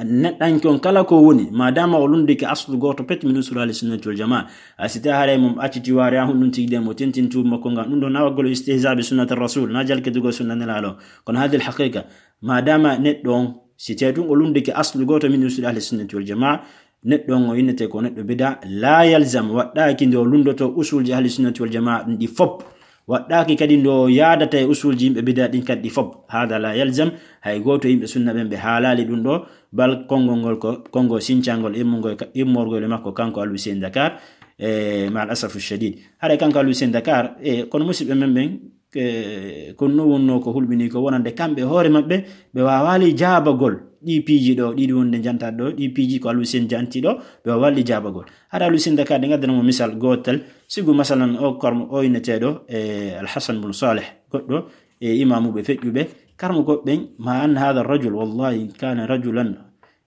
neɗɗanke on kala ko woni, madama o lundike aslu gooto pet min usul ahli sunnati wal jamaa, a si tawi haray mo acciti waare, a honɗum tigi de mo tentin tuuba makko ngan, ɗum ɗo nawagol istihza bi sunnati rasul, na jalkitugol sunna Nelaaɗo. Kono hadil haqiqa, madama neɗɗo on, si tawi ɗum o lundike aslu gooto min usul ahli sunnati wal jamaa, neɗɗo on o innete ko neɗɗo bid'a, la yalzam, waɗɗaaki nde o lundoto usulji ahli sunnati wal jamaa ɗum ɗi fop. Waɗɗaaki kadi nde o yaadata e usulji yimɓe bid'a ɗin kadi ɗi fop. Hada la yalzam, hay gooto yimɓe sunna ɓen ɓe haalaali ɗum ɗo, bal konngol ngol ko konngol sincangol immungol ka-, immorgol e makko kanko Al Hussein Dakar, e, ma al asafu shadid. Haray kanko Al Hussein Dakar, e, kono musiɓɓe men ɓen, e, kono no wonno ko hulɓini ko wonande kamɓe hoore maɓɓe, ɓe waawaali jaabagol ɗi piiji ɗo, ɗiɗi wonde jantaɗo ɗo, ɗi piiji ko Al Hussein janti ɗo, ɓe waawaali jaabagol. Hara Al Hussein Dakar ɗe ngaddana mo misal gootal, sigu masalan o karmo o inneteeɗo, e, Al Hassan bun Saleh, goɗɗo e imaamuɓe feƴƴuɓe, karmo ko ɓen, ma anna hada rajul, wallahi, in kana rajulan,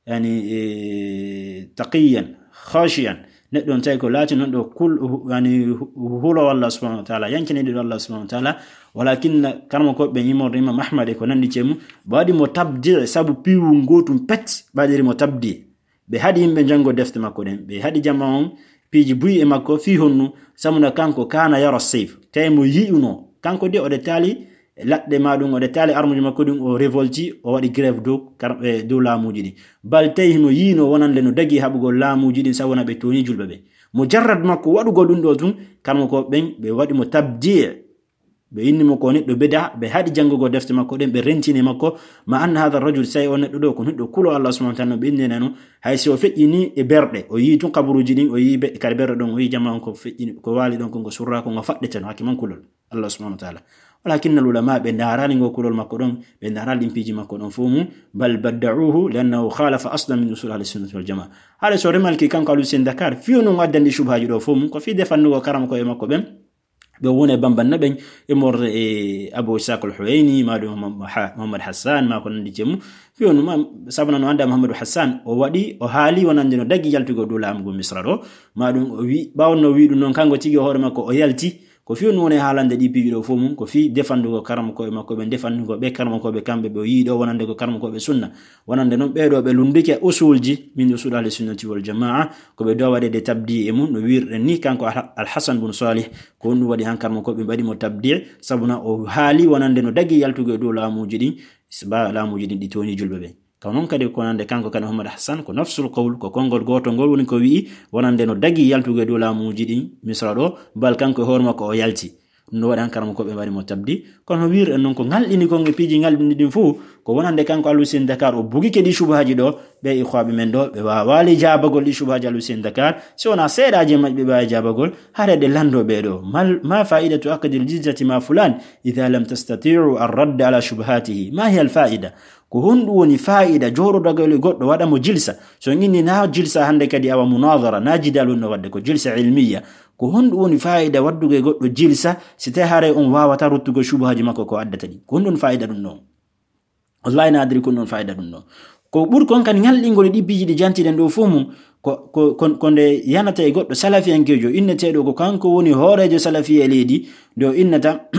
yani, e, taqiyan, khashiyan. Neɗɗo on tawi ko laati non ɗo kul-, hu-, yani, hu-, hulowo Allah subhanahu wa ta'ala, yankiniɗo Allah subhanahu wa ta'ala, walakin karmo ko ɓen imorde Imam Ahmad e ko nandi e mum, ɓe waɗi mo tabdi' sabu piiwu ngootum pet, ɓe waɗiri mo tabdi'. Ɓe haɗi yimɓe janngo defte makko ɗen. Ɓe haɗi jama on piiji buy e makko fii honnu, sabu no kanko kana yara sayf. Tawi mo yi'uno. Kanko de o ɗe taali laɗɗe ma ɗum, o ɗe taali armuji makko ɗum, o révolti, o waɗi grève dow kar-, e dow laamuji ɗin. Bal tawi himo yi'uno wonande no dagi haɓugol laamuji ɗin sabu wona ɓe tooñi julɓe ɓe. Mujarrad makko waɗugol ɗum ɗo tun, karmo ko ɓen ɓe waɗi mo tabdi'. Ɓe inni mo ko neɗɗo bida, ɓe haɗi janngugol defte makko ɗen, ɓe rentini makko, ma anna hada rajul, say o neɗɗo ɗo ko neɗɗo kulo Allah subhanahu wa ta'ala, no ɓe inni nano, hay si o feƴƴini e berɗe, o yii tun kaburuji ɗin, o yii be-, kadi berɗe ɗon, o yii jama on ko feƴƴini, ko waali ɗon, ko ngo surra, ko ngo faɗɗete no hakke man kulol Allah subhanahu wa ta'ala. Walakinna al ulama ɓe ndaarani ngo kulol makko ɗon, ɓe ndaarani ɗin piiji makko ɗon fof mum, bal badda'uhu li'annahu khalafa aslan min usul ahli sunnati wal jamaa. Haɗa so remalki kanko Alusin Dakar, fiyo non addandi shubuhaaji ɗo fof mum, ko fii defannugo karama koye makko ɓen, ɓe woni e bambanna ɓen, e morde e Abu Ishaq al-Huwayni, ma ɗum Muhammad Hassan, ma ko nandi jemu. Fiyo non ma, sabuna no annda Muhammadu Hassan, o waɗi, o haali wonande no dagi yaltugo dow laamu ngu Misra ɗo, ma ɗum o wi, ɓaawo no wi ɗum non kanko tigi hoore makko o yalti, ko fii on woni haalande ɗi piiji ɗo fof mum, ko fii defandugo karmakooɓe makko ɓe, defandugo ɓe karmakooɓe kamɓe ɓe o yii ɗo wonande ko karmakooɓe sunna. Wonande non ɓee ɗo ɓe lundike usulji min usul ahli sunnati wal jamaa, ko ɓe dowa waɗede tabdi e mum no wirɗen ni kanko Al-, Al-Hasan bun Salih, ko honɗum waɗi han karmakooɓe mbaɗi mo tabdi, sabuna o haali wonande no dagi yaltugo e dow laamuuji ɗin, ba laamuuji ɗin ɗi tooñi julɓe ɓe. Ka non kadi ko wonande kanko kadi Muhammad Hassan, ko nafsul qawl, ko konngol gooto ngol woni ko wi'i, wonande no dagi yaltugo e dow laamuuji ɗin Misra ɗo, bal kanko e hoore makko o yalti. Ɗum no waɗi han karmakooɓe mbaɗi mo tabdi. Kono wirɗen non ko ngalɗini kon e piiji ngalɗini ɗin fof, ko wonande kanko Alusin Dakar o bugike ɗi shubuhaaji ɗo, ɓe ikhwaaɓe men ɗo, ɓe waawaali jaabagol ɗi shubuhaaji Alusin Dakar, si wonaa seeɗaaji e maɓɓe ɓe waawi jaabagol, haɗa ɗe lanndo ɓee ɗo. Mal-, ma fa'idatu aqdil jilsati ma fulan, idha lam tastati'u ar-radd ala shubuhatihi. Ma hiya al-fa'ida? Ko honɗum woni faa'ida jooɗodagol e goɗɗo waɗa mo jilsa? So on inni na jilsa hannde kadi awa munadara, na jidal wonno waɗde, ko jilsa ilmiya. Ko honɗum woni faa'ida waɗdugo e goɗɗo jilsa si tawi haray on waawata ruttugo shubuhaaji makko ko addata ɗi? Ko honɗum faa'ida ɗum ɗon? Wallahi na adiri ko honɗum faa'ida ɗum ɗon. Ko ɓuri kon kadi ngalɗingol e ɗi piiji ɗi jantiɗen ɗo fof mum, ko, ko, ko, ko nde yanata e goɗɗo salafiyankeejo inneteeɗo ko kanko woni hooreejo salafiya e leydi, nde o innata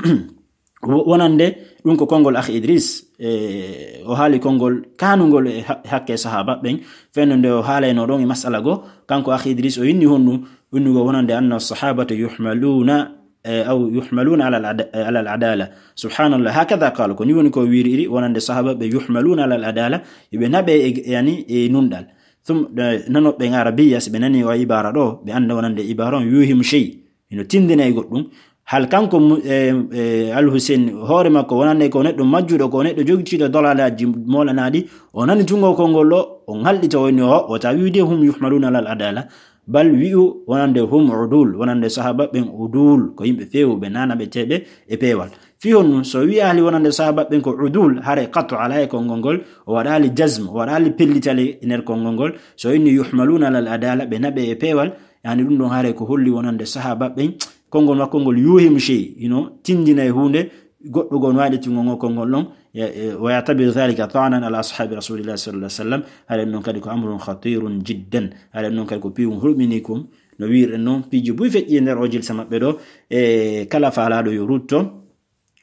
wo-, wonande ɗum ko konngol Akh Idris, e, o haali konngol kaanungol e ha-, hakke sahaaba ɓen, fenno nde o haalayno ɗon e masala go, kanko Akh Idris o inni honɗum, innugol wonande anna sahabata yuhmaluna, e, aw yuhmaluna ala al-ada-, ala al-adala. Subhanallah, hakada qala, ko ni woni ko wiriri, wonande sahaaba ɓe yuhmaluna ala al-adala, ɓe naɓe e, yani, e nunɗal. Thum, e, nanoɓe en arabiya, si ɓe nani o ibara ɗo, ɓe annda wonande ibara on yuhimu shay. Hino tindina e goɗɗum. Hal kanko mu-, e, e, Al Hussein hoore makko wonande ko neɗɗo majjuɗo, ko neɗɗo jogitiiɗo dalalaaji moolanaɗi, o nani tungo konngol ɗo, o ngalɗita o inni o, wota wi'ude hum yuhmaluna alal adala, bal wi'u wonande hum udul, wonande sahaaba ɓen udul, ko yimɓe feewuɓe, nanaɓeteeɓe e peewal. Fii honɗum, so wi'aali wonande sahaaba ɓen ko udul, hare qat'u ala e konngol ngol, o waɗaali jazm, o waɗaali pellital e nder konngol ngol, so inni yuhmaluna alal adala, ɓe naɓe e peewal, yani ɗum ɗon hare ko holli wonande sahaaba ɓen, konngol makko ngol yuhimu shay, hino tindina e huunde, goɗɗo goo no waɗi tungo ngo konngol ɗon, e, e, wa ya'tabiru dhalika ta'nan ala ashabi rasulillahi sallallahu alaihi wasallam, hare ɗum ɗon kadi ko amrun khatirun jiddan, hare ɗum ɗon kadi ko piiwum hulɓini kum, no wirɗen non, piiji buy feƴƴi e nder o jilsa maɓɓe ɗo, e kala faalaaɗo yo rutto,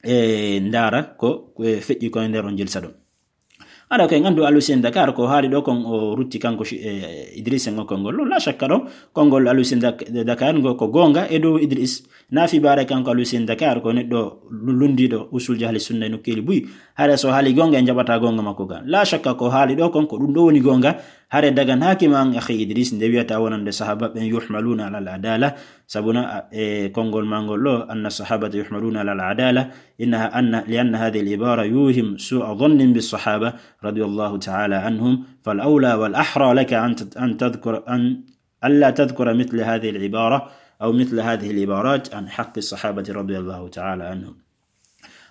e ndaara ko, ko feƴƴi ko e nder on jilsa ɗo. Aɗa ko en anndu Alusin Dakar ko haali ɗo kon o rutti kanko shi-, e, Idrissa ngo konngol. La shakka ɗo konngol Alusin Dak-, Dakar ngo ko goonga e dow Idris. Na fi baare kanko Alusin Dakar ko neɗɗo lu-, lunndiiɗo usul ahli sunna e nokkeeli buy. Hare so haali goonga en jaɓata goonga makko ga. La shakka ko haali ɗo kon ko ɗum ɗo woni goonga. Hare daganaaki ma an akhi Idris nde wiyata wonande sahaaba ɓen yuhmaluna alal adala. Sabuna, e, konngol ma ngol ɗo, anna sahabata yuhmaluna alal adala. إنها أن، لأن هذه العبارة يوهم سوء ظن بالصحابة رضي الله تعالى عنهم، فالأولى والأحرى لك أن تت-، أن تذكر، أن، ألا تذكر مثل هذه العبارة أو مثل هذه العبارات عن حق الصحابة رضي الله تعالى عنهم.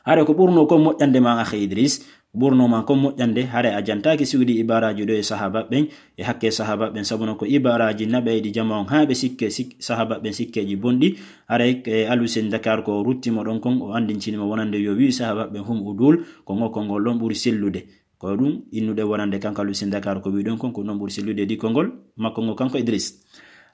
Hare ko ɓurno kon moƴƴande ma, akhi Idris, ɓurno ma kon moƴƴande, hare a jantaaki siwdi ibaraaji ɗo e sahaaba ɓen, e hakke sahaaba ɓen, sabuna ko ibaraaji naɓayɗi jama on haa ɓe sikke, sik-, sahaaba ɓen sikkeeji bonɗi. Haray, e, Alusin Dakar ko rutti mo ɗon kon, o anndintini mo wonande yo wi'u sahaaba ɓen hum udul, ko ngo konngol ɗon ɓuri sellude. Ko ɗum innude wonande kanko Alusin Dakar ko wi'i ɗon kon, ko non ɓuri sellude di konngol makko ngo kanko Idris.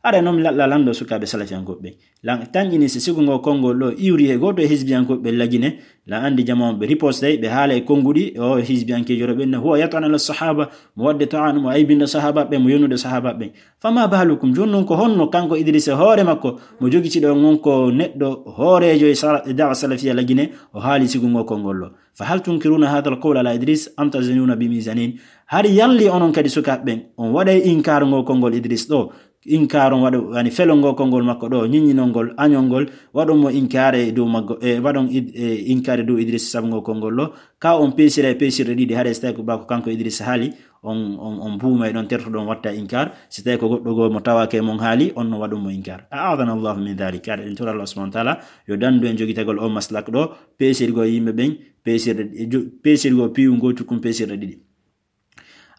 Haray non mi laɗɗa lanndo sukaaɓe salafiyankooɓe ɓen. Lan tanƴini si sigu ngo konngol ɗo iwri e gooto e hizbiyankooɓe ɓe lagine, lan anndi jama on ɓe ripostay, ɓe haala e konnguɗi, o hizbiyankeejo ɗo ɓen, huwa yat'anu ala sahaba, mo waɗde ta'anu, mo aybinɗo sahaaba ɓen, mo yonnude sahaaba ɓen. Fama balukum, jooni non ko honno kanko Idrissa hoore makko, mo jogitiiɗo on ko neɗɗo hooreejo e sala-, e da'wa salafiya lagine, o haali sigu ngo konngol ɗo. Fa hal tunkiruna hadha al-qawl ala Idris am tazinuna bi mizanin? Hari yalli onon kadi sukaaɓe ɓen, on waɗay inkaaru ngo konngol Idris ɗo, Inkaaron waɗo, yani felongol konngol makko ɗo, ñiññinol ngol, añol ngol, waɗon mo inkaare e dow maggo, e waɗon id-, e inkaare dow Idrissa sabu ngol konngol ɗo, ka on peesira e peesirɗe ɗiɗi, haɗa si tawi ko ba ko kanko Idrissa haali, on, on, on buuma e ɗon tertoɗon watta inkaar, si tawi ko goɗɗo goo mo tawaake e mon haali, on no waɗon mo inkaar. A'adana Allahu min dhalik, haɗa en tora Allah subhanahu wa ta'ala, yo dandu en jogitagol o maslak ɗo, peesirgol yimɓe ɓen, peesirɗe, jo-, peesirgol piiwu ngoo cukkum peesirɗe ɗiɗi.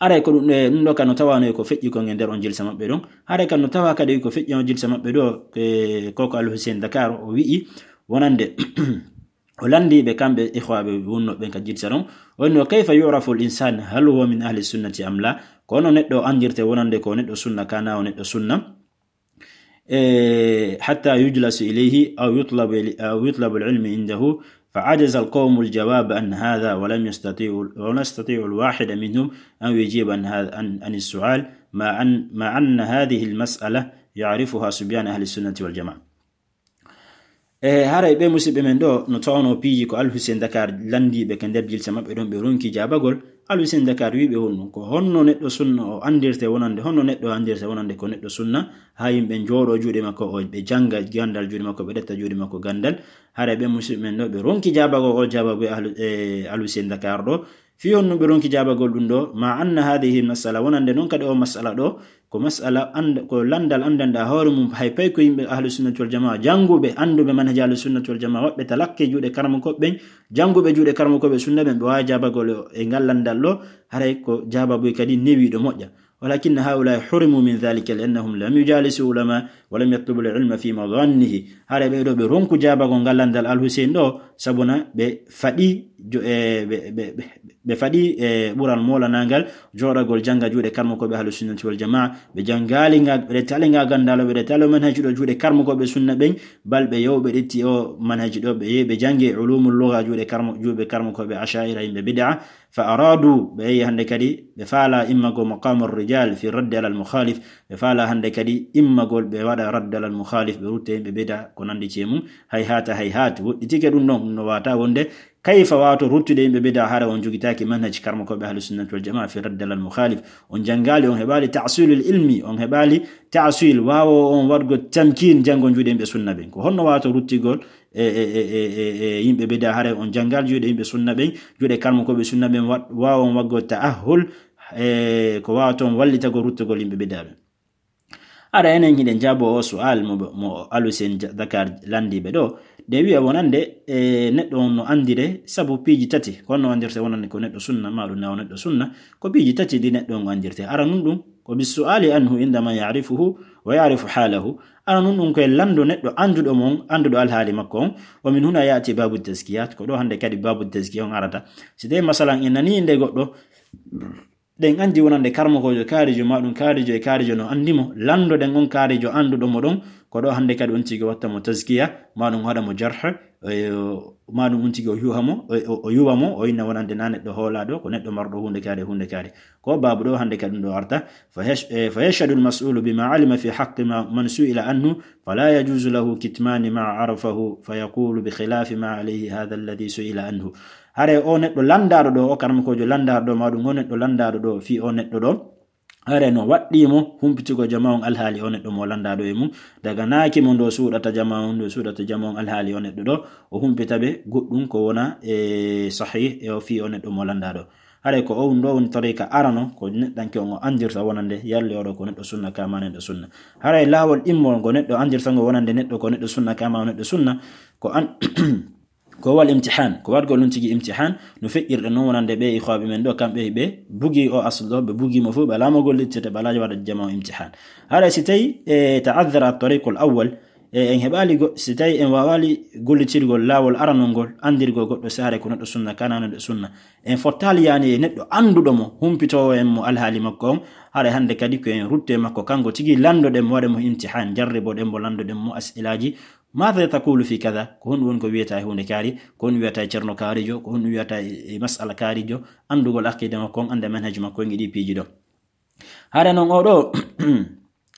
Haray ko ɗum, e, ɗum ɗo ka no tawaano e ko feƴƴi kon e nder on jilsa maɓɓe ɗon. Haray ka no tawa kadi ko feƴƴi on jilsa maɓɓe ɗo, e, koko Al Hussein Dakar o wi'i wonande o landiiɓe kamɓe ikhwaaɓe wonnooɓe ɓen ka jilsa ɗon. O wi'i no, "Kayfa yu'rafu al-insan hal huwa min ahli sunnati am la?" Ko hono neɗɗo andirte wonande ko neɗɗo sunna kana o neɗɗo sunna. إيه، حتى يجلس إليه أو يطلب، أو يطلب العلم عنده، فعجز القوم الجواب عن هذا، ولم يستطيعوا، ولم يستطيعوا الواحد منهم أن يجيب عن هذا، عن، عن السؤال، مع أن، مع أن هذه المسألة يعرفها صبيان أهل السنة والجماعة. E haray ɓe musiɓɓe men ɗo no tawno piiji ko Al Hussein Dakar landiiɓe ka nder jilsa maɓɓe ɗon, ɓe ronki jaabagol. Al Hussein Dakar wi'i ɓe honno, ko honno neɗɗo sunna o andirte wonande, honno neɗɗo andirte wonande ko neɗɗo sunna, haa yimɓe njooɗo juuɗe makko, o, ɓe janga gandal juuɗe makko, ɓe ɗetta juuɗe makko gandal. Haray ɓe musiɓɓe men ɗo, ɓe ronki jaabagol o jaababu e Ahlu-, e Al Hussein Dakar ɗo. Fii honno ɓe ronki jaabagol ɗum ɗo, ma anna hadhihi mas'ala, wonande non kadi o mas'ala ɗo, ko mas'ala and-, ko landal andanɗa hoore mum, hay pay ko yimɓe Ahlu Sunnati wal Jamaa, janguɓe, anduɓe manhaji Ahlu Sunnati wal Jamaa, waɓɓe talakke juuɗe karamokooɓe ɓen, janguɓe juuɗe karamokooɓe sunna ɓen, ɓe waawi jaabagol e ngal landal ɗo, haray ko jaababu kadi newiiɗo moƴƴa. Walakinna haa'ulaa'i hurimu min dhalika li'annahum lam yujalisu ulama wa lam yatlubu al-ilma fi madhannihi. Haray ɓe ɗo ɓe ronku jaabagol ngal landal Al Hussein ɗo, sabuna ɓe faɗi jo-, e, ɓe, ɓe, ɓe, ɓe faɗi, e, ɓural moolanaangal jooɗagol janga juuɗe karmokooɓe Ahlu Sunnati wal Jamaa. Ɓe jangaali nga, ɓe ɗettaali nga gandal, ɓe ɗettaali manhaji ɗo juuɗe karmokooɓe sunna ɓen, bal ɓe yahi ɓe ɗetti o manhaji ɗo, ɓe yahi ɓe jangi ulumul lugha juuɗe karmo-, juuɗe karmokooɓe Asha'ira, yimɓe bid'a. Fa aradu, ɓe yahi hande kadi, ɓe faala immagol maqamur rijal fi raddi alal mukhalif, ɓe faala hande kadi immagol ɓe waɗa raddi alal mukhalif, ɓe rutta yimɓe bid'a ko nandi e mum, hayhata hayhat, woɗɗitike ɗum ɗon, no wata wonde kayfa wato ruttude yimɓe bid'a hara on jogitaki manhaj karmokooɓe Ahlu Sunnati wal Jamaa fi raddi alal mukhalif. On jangali, on heɓali ta'silul ilmi, on heɓali ta'sil, waawo on waɗgo tamkin, jango juuɗe yimɓe sunna ɓen. Ko honno wato ruttigol e, e, e, e, e, e yimɓe bid'a hara on jangal juuɗe yimɓe sunna ɓen, juuɗe karmokooɓe sunna ɓen, wa-, waawo on waɗgo ta'ahhul, e, ko waawa toon wallitagol ruttugol yimɓe bid'a ɓen. Ara enen hiɗen jaabo o su'al mo, mo Al Hussein Ja-, Dakar landiiɓe ɗo. Ɗe wi'a wonande, e, neɗɗo on no andire sabu piiji tati. Ko honno andirte wonande ko neɗɗo sunna, ma ɗum na o neɗɗo sunna. Ko piiji tati ɗi neɗɗo on andirte. Ara nun ɗum, ko bis su'ali anhu inda man ya'rifuhu wa ya'rifu halahu. Ara nun ɗum koye lando neɗɗo anduɗo mo on, anduɗo alhaali makko on. Wa min huna ya'ti babu tazkiyat. Ko ɗo hande kadi babu tazkiya on arata. Si tawi masalan en nani inde goɗɗo, ɗen andi wonande karmokoojo kaarijo, ma ɗum kaarijo e kaarijo no andi mo, landoɗen on kaarijo anduɗo mo ɗon, ko ɗo hande kadi on tigi watta mo tazkiya, ma ɗum waɗa mo jarh, e, ma ɗum on tigi o yuha mo, o, o, o yuwa mo, o inna wonande na neɗɗo hoolaɗo, ko neɗɗo marɗo hunde kaari, hunde kaari. Ko babu ɗo hande kadi ɗum ɗo arta, fa yash-, e, fa yashhadu al-mas'ulu bima alima fi haqqi ma, man su'ila anhu, fala yajuzu lahu kitmani ma arafahu, fa yaqulu bi khilafi ma alayhi hadha alladhi su'ila anhu. Hare o neɗɗo landaaɗo ɗo, o karmokoojo landaaɗo ɗo, ma ɗum o neɗɗo landaaɗo ɗo, fii o neɗɗo ɗo, hare no waɗɗii mo humpitigo jama on alhaali o neɗɗo mo landaaɗo e mum, daga naaki mo ndo suuɗata jama on, ndo suuɗata jama on alhaali o neɗɗo ɗo, o humpita ɓe goɗɗum ko wona e sahih e o fii o neɗɗo mo landaaɗo. Hare ko on ɗo woni tariika arano, ko neɗɗanke on o andirta wonande, yalle oɗo ko neɗɗo sunna, ka ma neɗɗo sunna. Hare laawol immol ngo neɗɗo andirta ngo wonande neɗɗo ko neɗɗo sunna, ka ma o neɗɗo sunna, ko an-, ko wal imtihan, ko waɗgol ɗum tigi imtihan, no feƴƴirɗe noon wonande ɓe ikhwaaɓe men ɗo, kamɓe ɓe bugi o asl ɗo, ɓe bugi mo fof, ɓe alaa mo gollittirta, ɓe alaa waɗa jama o imtihan. Hara si tawi, e, ta'azzara at-tariqul awwal, e, en heɓaali go-, si tawi en waawaali gollitirgol laawol aranol ngol, andirgol goɗɗo si hare ko neɗɗo sunna, kana neɗɗo sunna. En fottaali yaani e neɗɗo annduɗo mo, humpitoowo en mo alhaali makko on, hara hande kadi ko en rutte makko, kanko tigi landoɗen mo, waɗe mo imtihan, jarriboɗen mo, landoɗen mo as'ilaaji, Maada taqulu fi kada? Ko honɗum woni ko wiyata e huunde kaari? Ko honɗum wiyata e ceerno kaarijo? Ko honɗum wiyata e, e masala kaarijo? Anndugol aqida makko on, annda manhaji makko on e ɗi piiji ɗo. Hare noon oo ɗoo,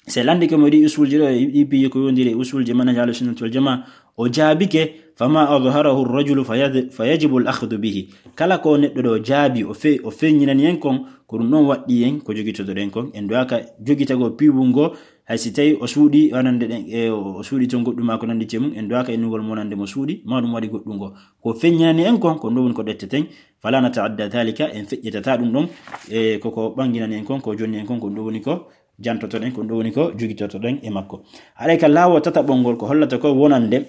si lanndike mo ɗi usulji ɗo, e ɗi piiji ko yowndiri e usulji manhaji Ahlu Sunnati wal Jamaa, o jaabike, fama adharahu rajulu fa yad-, fa yajibu al akhdu bihi. Kala ko neɗɗo ɗo jaabi, o fe-, o feeñinani en kon, ko ɗum ɗon waɗɗi en ko jogitotoɗen kon. En duwaaka jogitagol piiwungol Hay si tawi o suuɗi wonande ɗen, e o suuɗi toon goɗɗum maa ko nanndi e mum, en duwaaka innugol mo wonande mo suuɗi, maa ɗum waɗi goɗɗum ngo. Ko feññinani en kon, ko ɗum woni ko ɗetteten, fala nata'adda dhalika, en feƴƴitata ɗum ɗon, e koko ɓanginani en kon, ko jonni en kon, ko ɗum woni ko jantotoɗen, ko ɗum woni ko jogitotoɗen e makko. Haray ka laawol tataɓol ngol ko hollata ko wonande,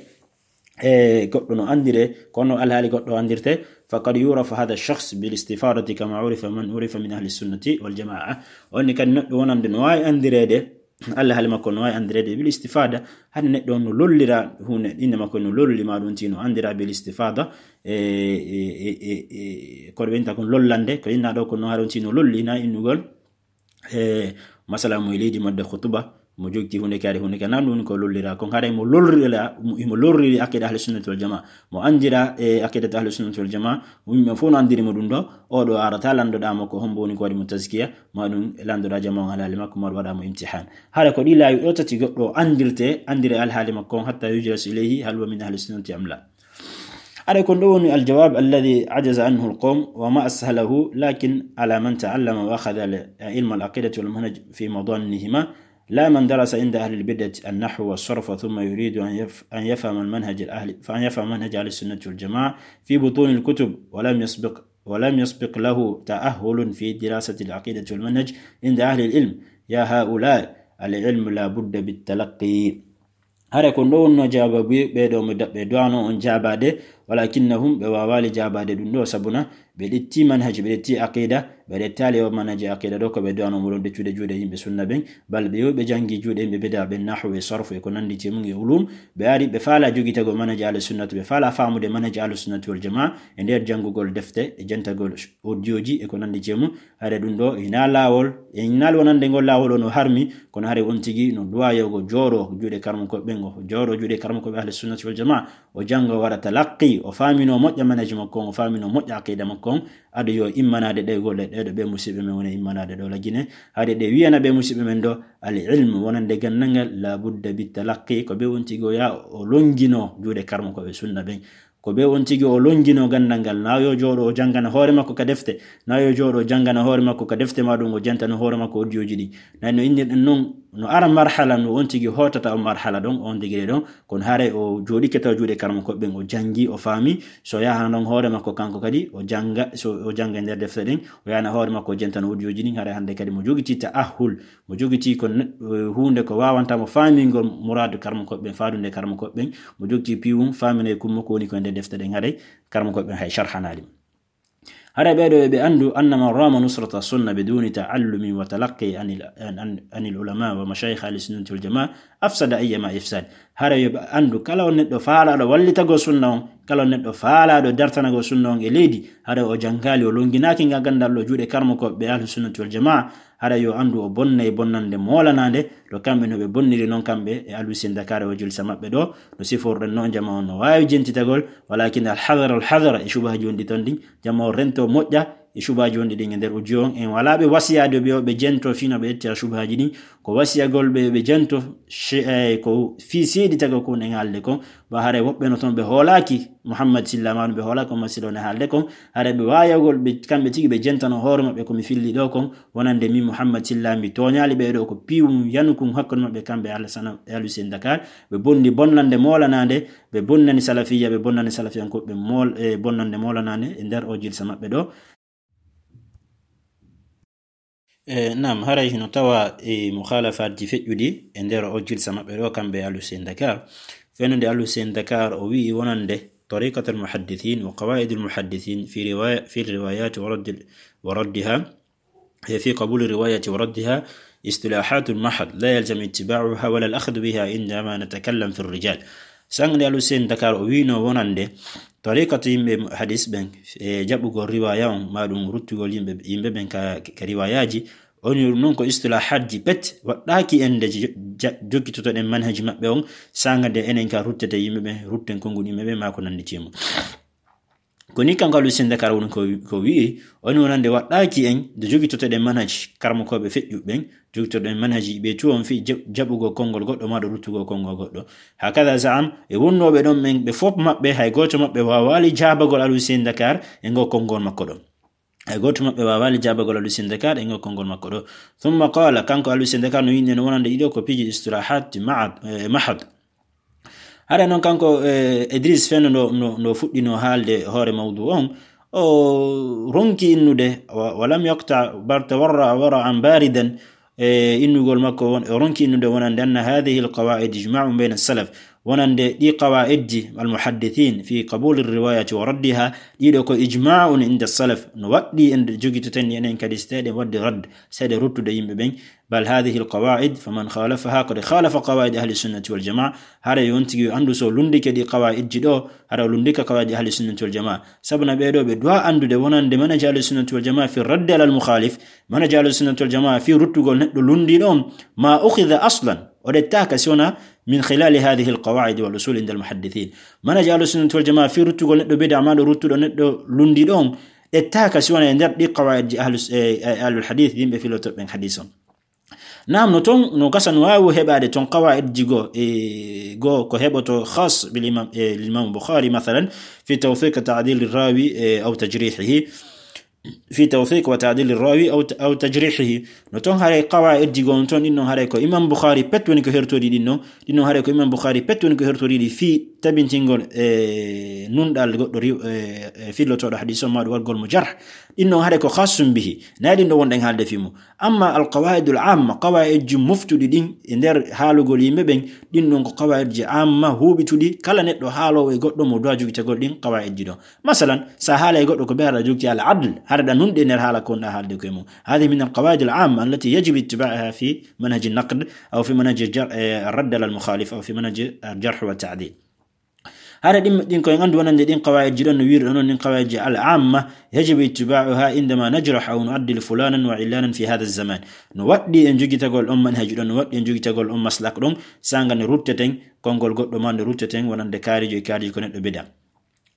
e goɗɗo no anndire, kono alhaali goɗɗo anndirte, faqad yurafu hadha shakhs bil istifadati kama urifa man urifa min ahli sunnati wal jamaa. On ni kadi neɗɗo wonande no waawi anndireede, alhaali makko no waawi anndireede bil istifada, hade neɗɗo on no lollira huunde, innde makko no lolli, maa ɗum tigi no anndira bil istifada, e, e, e, e, e, ko ɓe innta kon lollande, ko innaa ɗo ko no haɗon tigi no lolli, na innugol, e, masala mo e leydi modde khutuba, mo jogti huunde kaari huunde ka, nan ɗum ko lollira kon, haray mo lollira, mo, mo lolliri aqida ahli sunnati wal jamaa, mo anndira e aqidatu ahli sunnati wal jamaa, yimɓe fof no anndiri mo ɗum ɗo, o ɗo arata landoɗaa mo ko hombo woni ko waɗi mo tazkiya, ma ɗum landoɗaa jamaa on alhaali makko, ma ɗum waɗa mo imtihan. Hara ko ɗi laawi ɗo tati goɗɗo anndirte, anndire alhaali makko on, hatta yujlasu ilayhi, hal huwa min ahli sunnati am la. Hara kon ɗo woni aljawab alladhi ajaza anhu alqawm, wa ma ashalahu, lakin ala man ta'allama wa akhadha al-, ilma al-aqidati wal manhaj fi madanihima, لا من درس عند أهل البدعة النحو والصرف ثم يريد أن يف-، أن يفهم المنهج الأهل، فأن يفهم منهج أهل السنة والجماعة في بطون الكتب ولم يسبق، ولم يسبق له تأهل في دراسة العقيدة والمنهج عند أهل العلم. يا هؤلاء، العلم لا بد بالتلقي. Hare ko ɗo wonno jaababuye ɓee ɗo mo daɓɓe duwano on jaabaade, walakinnahum ɓe waawaali jaabaade ɗum ɗo, sabuna ɓe ɗetti manhaj, ɓe ɗetti aqida, ɓe ɗettaali o manhaj aqida ɗo ko ɓe duwano mo ɗon ɗeccude juuɗe yimɓe sunna ɓen, bal ɓe yo ɓe janngi juuɗe yimɓe bida ɓen, nahwu e sarfu e ko nanndi e mum e ulum, ɓe ari ɓe faala jogitagol manhaj ahli sunnati, ɓe faala faamude manhaj ahli sunnati wal jamaa e nder janngugol defte e jantagol audioji e ko nanndi e mum, hare ɗum ɗo hinaa laawol, e hinaa wonande ngol laawol o no harmi, kono hare on tigi no duwayogo jooɗo juuɗe karmukooɓe ɓen, o jooɗo juuɗe karmukooɓe ahli sunnati wal jamaa, o jannga, o waɗa talaqqi, o faamino moƴƴa manhaji makko on, o faamino moƴƴa aqida makko on, ado yo immanaade ɗe golle ɗe ɗo ɓe musiɓɓe men woni immanaade ɗo lagine, hare ɗe wiyana ɓe musiɓɓe men ɗo, al ilmu wonande ganndal ngal, la budda bi talaqqi, ko ɓe on tigi o yaa o longino juuɗe karmukooɓe sunna ɓen. Ko ɓe on tigi o longino ganndal ngal, na yo jooɗo o janngana hoore makko ka defte, na yo jooɗo o janngana hoore makko ka defte, ma ɗum o jantano hoore makko audioji ɗin. Na no innirɗen non, no ara marhala no on tigi hootata on marhala ɗon, on degré ɗon, kono haray o jooɗike taw juuɗe karmukooɓe ɓen, o janngi, o faami, so yaha non hoore makko kanko kadi, o jannga, so o jannga e nder defte ɗen, o yana hoore makko o jantano audioji ɗin, haray hannde kadi mo jogiti ta'ahhul, mo jogiti ko ne-, eh, huunde ko waawanta mo faamingol muraadu karmukooɓe ɓen, faadunde karmukooɓe ɓen, mo jogiti piiwum, faamina e kummo ko woni ko e nder defte ɗen, haray karmukooɓe ɓen hay sharhanaali mo. Haray ɓee ɗo ɓe anndu, anna man rama nusrata sunna biduni ta'allumi wa talaqqi anil, an, an, anil ulama wa mashayikh ahli sunnati wal jamaa, afsada ayyama ifsad. Haray yo ɓe anndu, kala on neɗɗo faalaaɗo wallitagol sunna on, kala on neɗɗo faalaaɗo dartanagol sunna on e leydi, haray o janngaali, o longinaaki nga ganndal ɗo juuɗe karmukooɓe ɓe ahli sunnati wal jamaa, haray yo anndu o bonnay bonnande moolanaande, ɗo kamɓe no ɓe bonniri non kamɓe e Alusi Dakar o jilsa maɓɓe ɗo, no siforɗen non jamaa on no waawi jentitagol, walakin al hadara, al hadara e subhaaji wonɗi ton ɗin, jamaa on rento moƴƴa e subhaaji wonɗi ɗin e nder audio on, en walaa ɓe wasiyaade ɓe o ɓe jento fii no ɓe ƴettira subhaaji ɗin, ko wasiyagol ɓe ɓe jento she-, eh, ko fii seeditagol ko en haalde kon, ba haray woɓɓe no ton ɓe hoolaaki Muhammad Silla, ma ɗum ɓe hoolaaki Muhammad Silla on e haalde kon, haray ɓe waayagol ɓe, kamɓe tigi ɓe jentano hoore maɓɓe ko mi filli ɗo kon, wonande min Muhammad Silla mi tooñaali ɓee ɗo, ko piiwum yanukun hakkunde maɓɓe kamɓe Alassane e Alusi Dakar, ɓe bonni bonnande moolanaande, ɓe bonnani salafiyya, ɓe bonnani salafiyankooɓe mool-, e bonnande moolanaande e nder o jilsa maɓɓe ɗo. E, naam, haray hino tawa e mukhalafaatji feƴƴuɗi e nder o jilsa maɓɓe ɗo, kamɓe Alusi Dakar. Fennude Alusi Dakar, o wi'i wonande tariqatul muhaddithin wa qawaidul muhaddithin fi riwaya-, fi riwayati wa raddil-, wa raddiha, e fi qabuli riwayati wa raddiha istilahatun mahad la yalzamu ittiba'uha wala al-akhdhu biha indama natakallam fi rijal. Sangde Alusi Dakar o wi'no wonande tariqatu yimɓe hadis ɓen, e jaɓugol riwaya on, ma ɗum ruttugol yimɓe, yimɓe ɓen ka, ka riwayaji, on yo ɗum non ko istilahatji pet, waɗɗaaki en nde jo-, ja-, jokkitotoɗen manhaji maɓɓe on, sanga nde enen ka ruttete yimɓe ɓen, rutten konguɗi yimɓe ɓen, ma ko nanndi e mum. Ko ni kanko Alusi Dakar woni ko, ko wi'i, on wonande waɗɗaaki en nde jokkitotoɗen manhaji karmukooɓe feƴƴuɓe ɓen, jokkitoɗen manhaji ɓe tu on fii ja-, jaɓugol konngol goɗɗo maa ɗo ruttugol konngol goɗɗo. Hakada za'am, e wonnooɓe ɗon ɓen, ɓe fof maɓɓe, hay gooto maɓɓe waawaali jaabagol Alusi Dakar e ngol konngol makko ɗon. Hay gooto maɓɓe waawaali jaabagol Alusi Ndakar e ŋokkol ngol makko ɗo. Thumma qala, kanko Alusi Ndakar no winnde no wonande ɗiɗo ko piiji istirahat mahad, eh, mahad. Hara noon kanko, eh, Idris Feno no, no, no fuɗɗino haalde hoore mawdu on, o ronki innude, wa, wa lam yaqta bal tawarra wara'an baridan, e innugol makko won, o ronki innude wonande anna hadhihi alqawaid ijma'un bayna salaf, wonande ɗi qawaidji almuhaddithin fi qabuli riwayati wa raddiha, ɗiɗo ko ijma'un inda salaf, no waɗɗi en jogitoten ni enen kadi so tawi ɗen waɗde radd, so tawi ɗe ruttude yimɓe ɓen. Bal hadhihi alqawaid faman khalafaha qad khalafa qawaid ahli sunnati wal jamaa. Hara yo on tigi yo anndu so lunndike ɗi qawaidji ɗo, hara o lunndika qawaid ahli sunnati wal jamaa. Sabu na ɓee ɗo ɓe duwa anndude wonande manhaj ahli sunnati wal jamaa fi raddi ala al mukhalif, manhaj ahli sunnati wal jamaa fi ruttugol neɗɗo lunndiiɗo on, ma ukhidha aslan, o ɗettaaka si wona min khilali hadhihi alqawaid wal usul inda almuhaddithin. Manhaj ahli sunnati wal jamaa fi ruttugol neɗɗo bida ma ɗo ruttuɗo neɗɗo lunndiiɗo on, ɗettaaka si wona e nder ɗi qawaidji ahlu, eh, eh, ahlul hadith, yimɓe filotoɓe ɓen hadis on. Naam, no ton, no gasa no waawi heɓaade ton qawaidji go, e go ko heɓoto khas bil imam, eh, lil imam Bukhari, mathalan, fi tawthiq ta'dil rawi, eh, aw tajrihihi. Fi tawthiq wa ta'dil rawi aw, aw tajrihihi. No ton haray qawaidji go on ton, ɗin non haray ko imam Bukhari pet woni ko hertori ɗin non. Ɗin non haray ko imam Bukhari pet woni ko hertori ɗi fi tabintingol, eh, nunɗal goɗɗo riw-, eh, eh, fillotoɗo hadis on ma ɗo waɗgol mo jarh. Ɗin non haray ko khassum bihi. Na ɗin ɗo wonɗen haalde fi mo. Amma alqawaidul amma, qawaidji moftuɗi ɗin e nder haalugol yimɓe ɓen, ɗin ɗon ko qawaidji amma huuɓituɗi, kala neɗɗo haaloowo e goɗɗo mo duwa jogitagol ɗin qawaidji ɗon. Masalan, sa haala e goɗɗo ko ɓe haɗa jogiti al adl, haɗa ɗa nunɗi e nder haala ko wonɗa haalde koye mum. Hadhihi min alqawaidil amma allati yajibu ittiba'uha fi manhaji naqd, aw fi manhaji jar-, eh, radd ala al mukhalif, aw fi manhaji al jarh wa ta'dil. Hara ɗin, ɗin koye anndu wonande ɗin qawaidji ɗon no wiiri ɗon, ɗin qawaidji al amma, yajibu ittiba'uha indama najrah aw nu'addil fulanan wa illanan fi hadha zaman. No waɗɗi en jogitagol on manhaj ɗon, no waɗɗi en jogitagol on maslak ɗon, sanga nde rutteten konngol goɗɗo ma nde rutteten wonande kaarijo e kaarijo ko neɗɗo bida.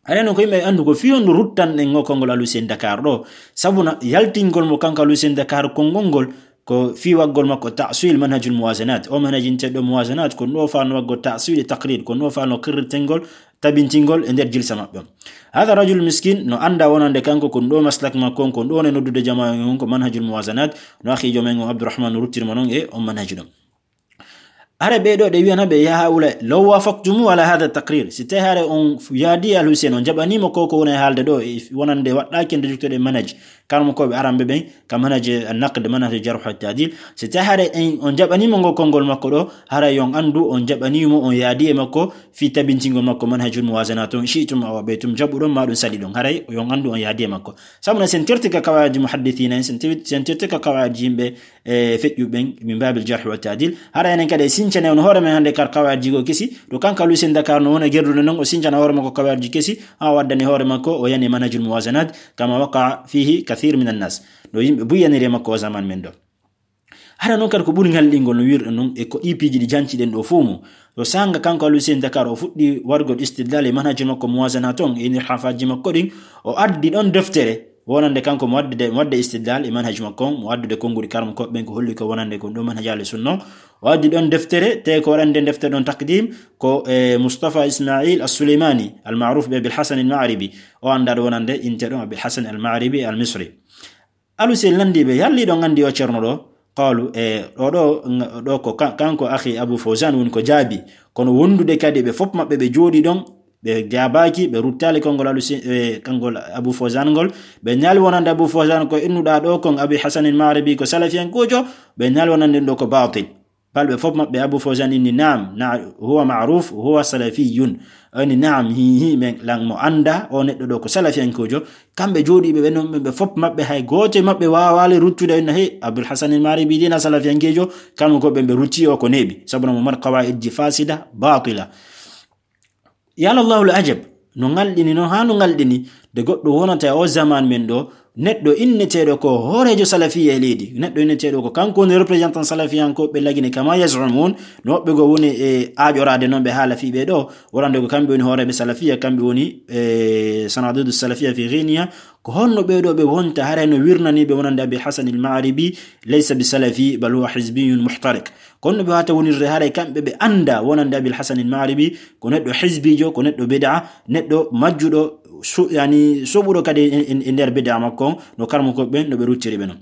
Hara noon ko yimɓe anndu ko fii honɗum ruttanɗen ngo konngol Alusi Ndakar ɗo, sabu na yaltingol mo kanko Alusi Ndakar konngol ngol, ko fii waggol makko ta'sil manhajul muwazanat. O manhaj inteɗo muwazanat, ko ɗo faano waggol ta'sil e taqrir, ko ɗo faano qirritengol, tabintingol e nder jilsa maɓɓe on. Hada rajul miskin, no annda wonande kanko ko ɗo maslak makko on, ko ɗo ne noddude jamaa on ko manhajul muwazanat, no akhi jomen o Abdurrahman no ruttiri mo non e on manhaj ɗon. Hare ɓe ɗo ɗe wiyana ɓe, ya haula, law wafaqtumu ala hada taqrir. Si tawi hare on yaadi Al Hussein, on jaɓanimo ko, ko woni e haalde ɗo, e wonande waɗɗaaki nde juktoɗe manhaj. Karmo ko ɓe aramɓe ɓen, ka manhaj an-naqd, manhaj jarh wa ta'dil. Si tawi hare en, on jaɓanimo ngo konngol makko ɗo, haray yon anndu on jaɓanimo, on yaadi e makko, fi tabintingol makko manhajul muwazanat on, shi'tum aw abaytum, jaɓuɗon ma ɗum saliɗon. Haray yon anndu on yaadi e makko. Sabu na sen terti ka kawaaji muhaddithina en, sen tewi-, sen terti ka kawaaji yimɓe, e feƴƴuɓe ɓen, min babil jarh wa ta'dil. Hara enen kadi e sincane on hoore men hannde kar kawaaji go kesi, to kanko Al Hussein Dakar no wona gerdude non, o sincana hoore makko kawaaji kesi, ha o addani hoore makko, o yani manhajul muwazanat, kama waqa fihi kathir min annas. No yimɓe buyaniri e makko o zaman men ɗo. Hara noon kadi ko ɓuri ngalɗingol no wirɗo non, e ko ɗi piiji ɗi janciɗen ɗo fof mo. To sanga kanko Al Hussein Dakar o fuɗɗi wargol istidlal e manhajul makko muwazanat on, e inhirafaaji makko ɗin, o addi ɗon deftere, wonande kanko mo wadde, mo wadde istidlal e manhaj makko on, mo addude konnguɗi karmo koɓe ɓen ko holli ko wonande ko ɗo manhaj ahli sunna. O addi ɗon deftere, te ko waɗande deftere ɗon taqdim, ko, e, Mustafa Ismail As-Suleymani, al-ma'ruf bi Abil Hasan Al-Ma'ribi. O annda ɗo wonande inte ɗon Abil Hasan Al-Ma'ribi Al-Misri. Al Hussein lanndi ɓe, yalli ɗon anndi o ceerno ɗo? Qaalu, e, ɗo, ɗo, ɗo ko ka-, kanko akhi Abu Fawzan woni ko jaabi. Kono wondude kadi ɓe fof maɓɓe ɓe jooɗi ɗon, ɓe jaabaaki, ɓe ruttaali konngol Al Hussein, e, konngol Abu Fawzan ngol. Ɓe ñaali wonande Abu Fawzan ko innuɗaa ɗo kon Abi Hasan Al-Ma'ribi ko salafiyankojo, ɓe ñaali wonande ɗo ko baatil. Bal ɓe fof maɓɓe, Abu Fawzan inni, "Naam, na-, huwa ma'ruf, huwa salafiyun." O inni, "Naam, hi, hi, men lan mo annda, o neɗɗo ɗo ko salafiyankojo." Kamɓe jooɗiiɓe ɓe non, ɓe fof maɓɓe, hay gooto e maɓɓe waawaali ruttude, inna, "Hey, Abul Hasan Al-Ma'ribi dina salafiyankejo." Kamɓe ko ɓe, ɓe rutti o ko neeɓi. Sabu no mo mari qawaa'idji fasida, batila. Ya Allahul ajab, no ngalɗini noon, haa no ngalɗini, nde goɗɗo wonata e o zaman men ɗo, neɗɗo inneteeɗo ko hooreejo salafiya e leydi, neɗɗo inneteeɗo ko kanko woni représentant salafiyankooɓe lagine, kama yaz'umun, no woɓɓe goo woni e aaƴoraade noon ɓe haala fii ɓe ɗo, wonande ko kamɓe woni hooreeɓe salafiya, kamɓe woni, e, sanadidu salafiya fi Guinea, ko honno ɓee ɗo ɓe wonta haray no wirnanii ɓe wonande Abi Hasan al-Ma'ribi, laysa bi salafi, bal huwa hizbiyun muhtariq. Kono no ɓe wata wonirde haray kamɓe ɓe annda wonande Abil Hasan al-Ma'ribi, ko neɗɗo hizbijo, ko neɗɗo bid'a, neɗɗo majjuɗo su-, yani, soɓuɗo kadi e, e, e nder bida makko, no karmo ko ɓen, no ɓe ruttiri ɓe non.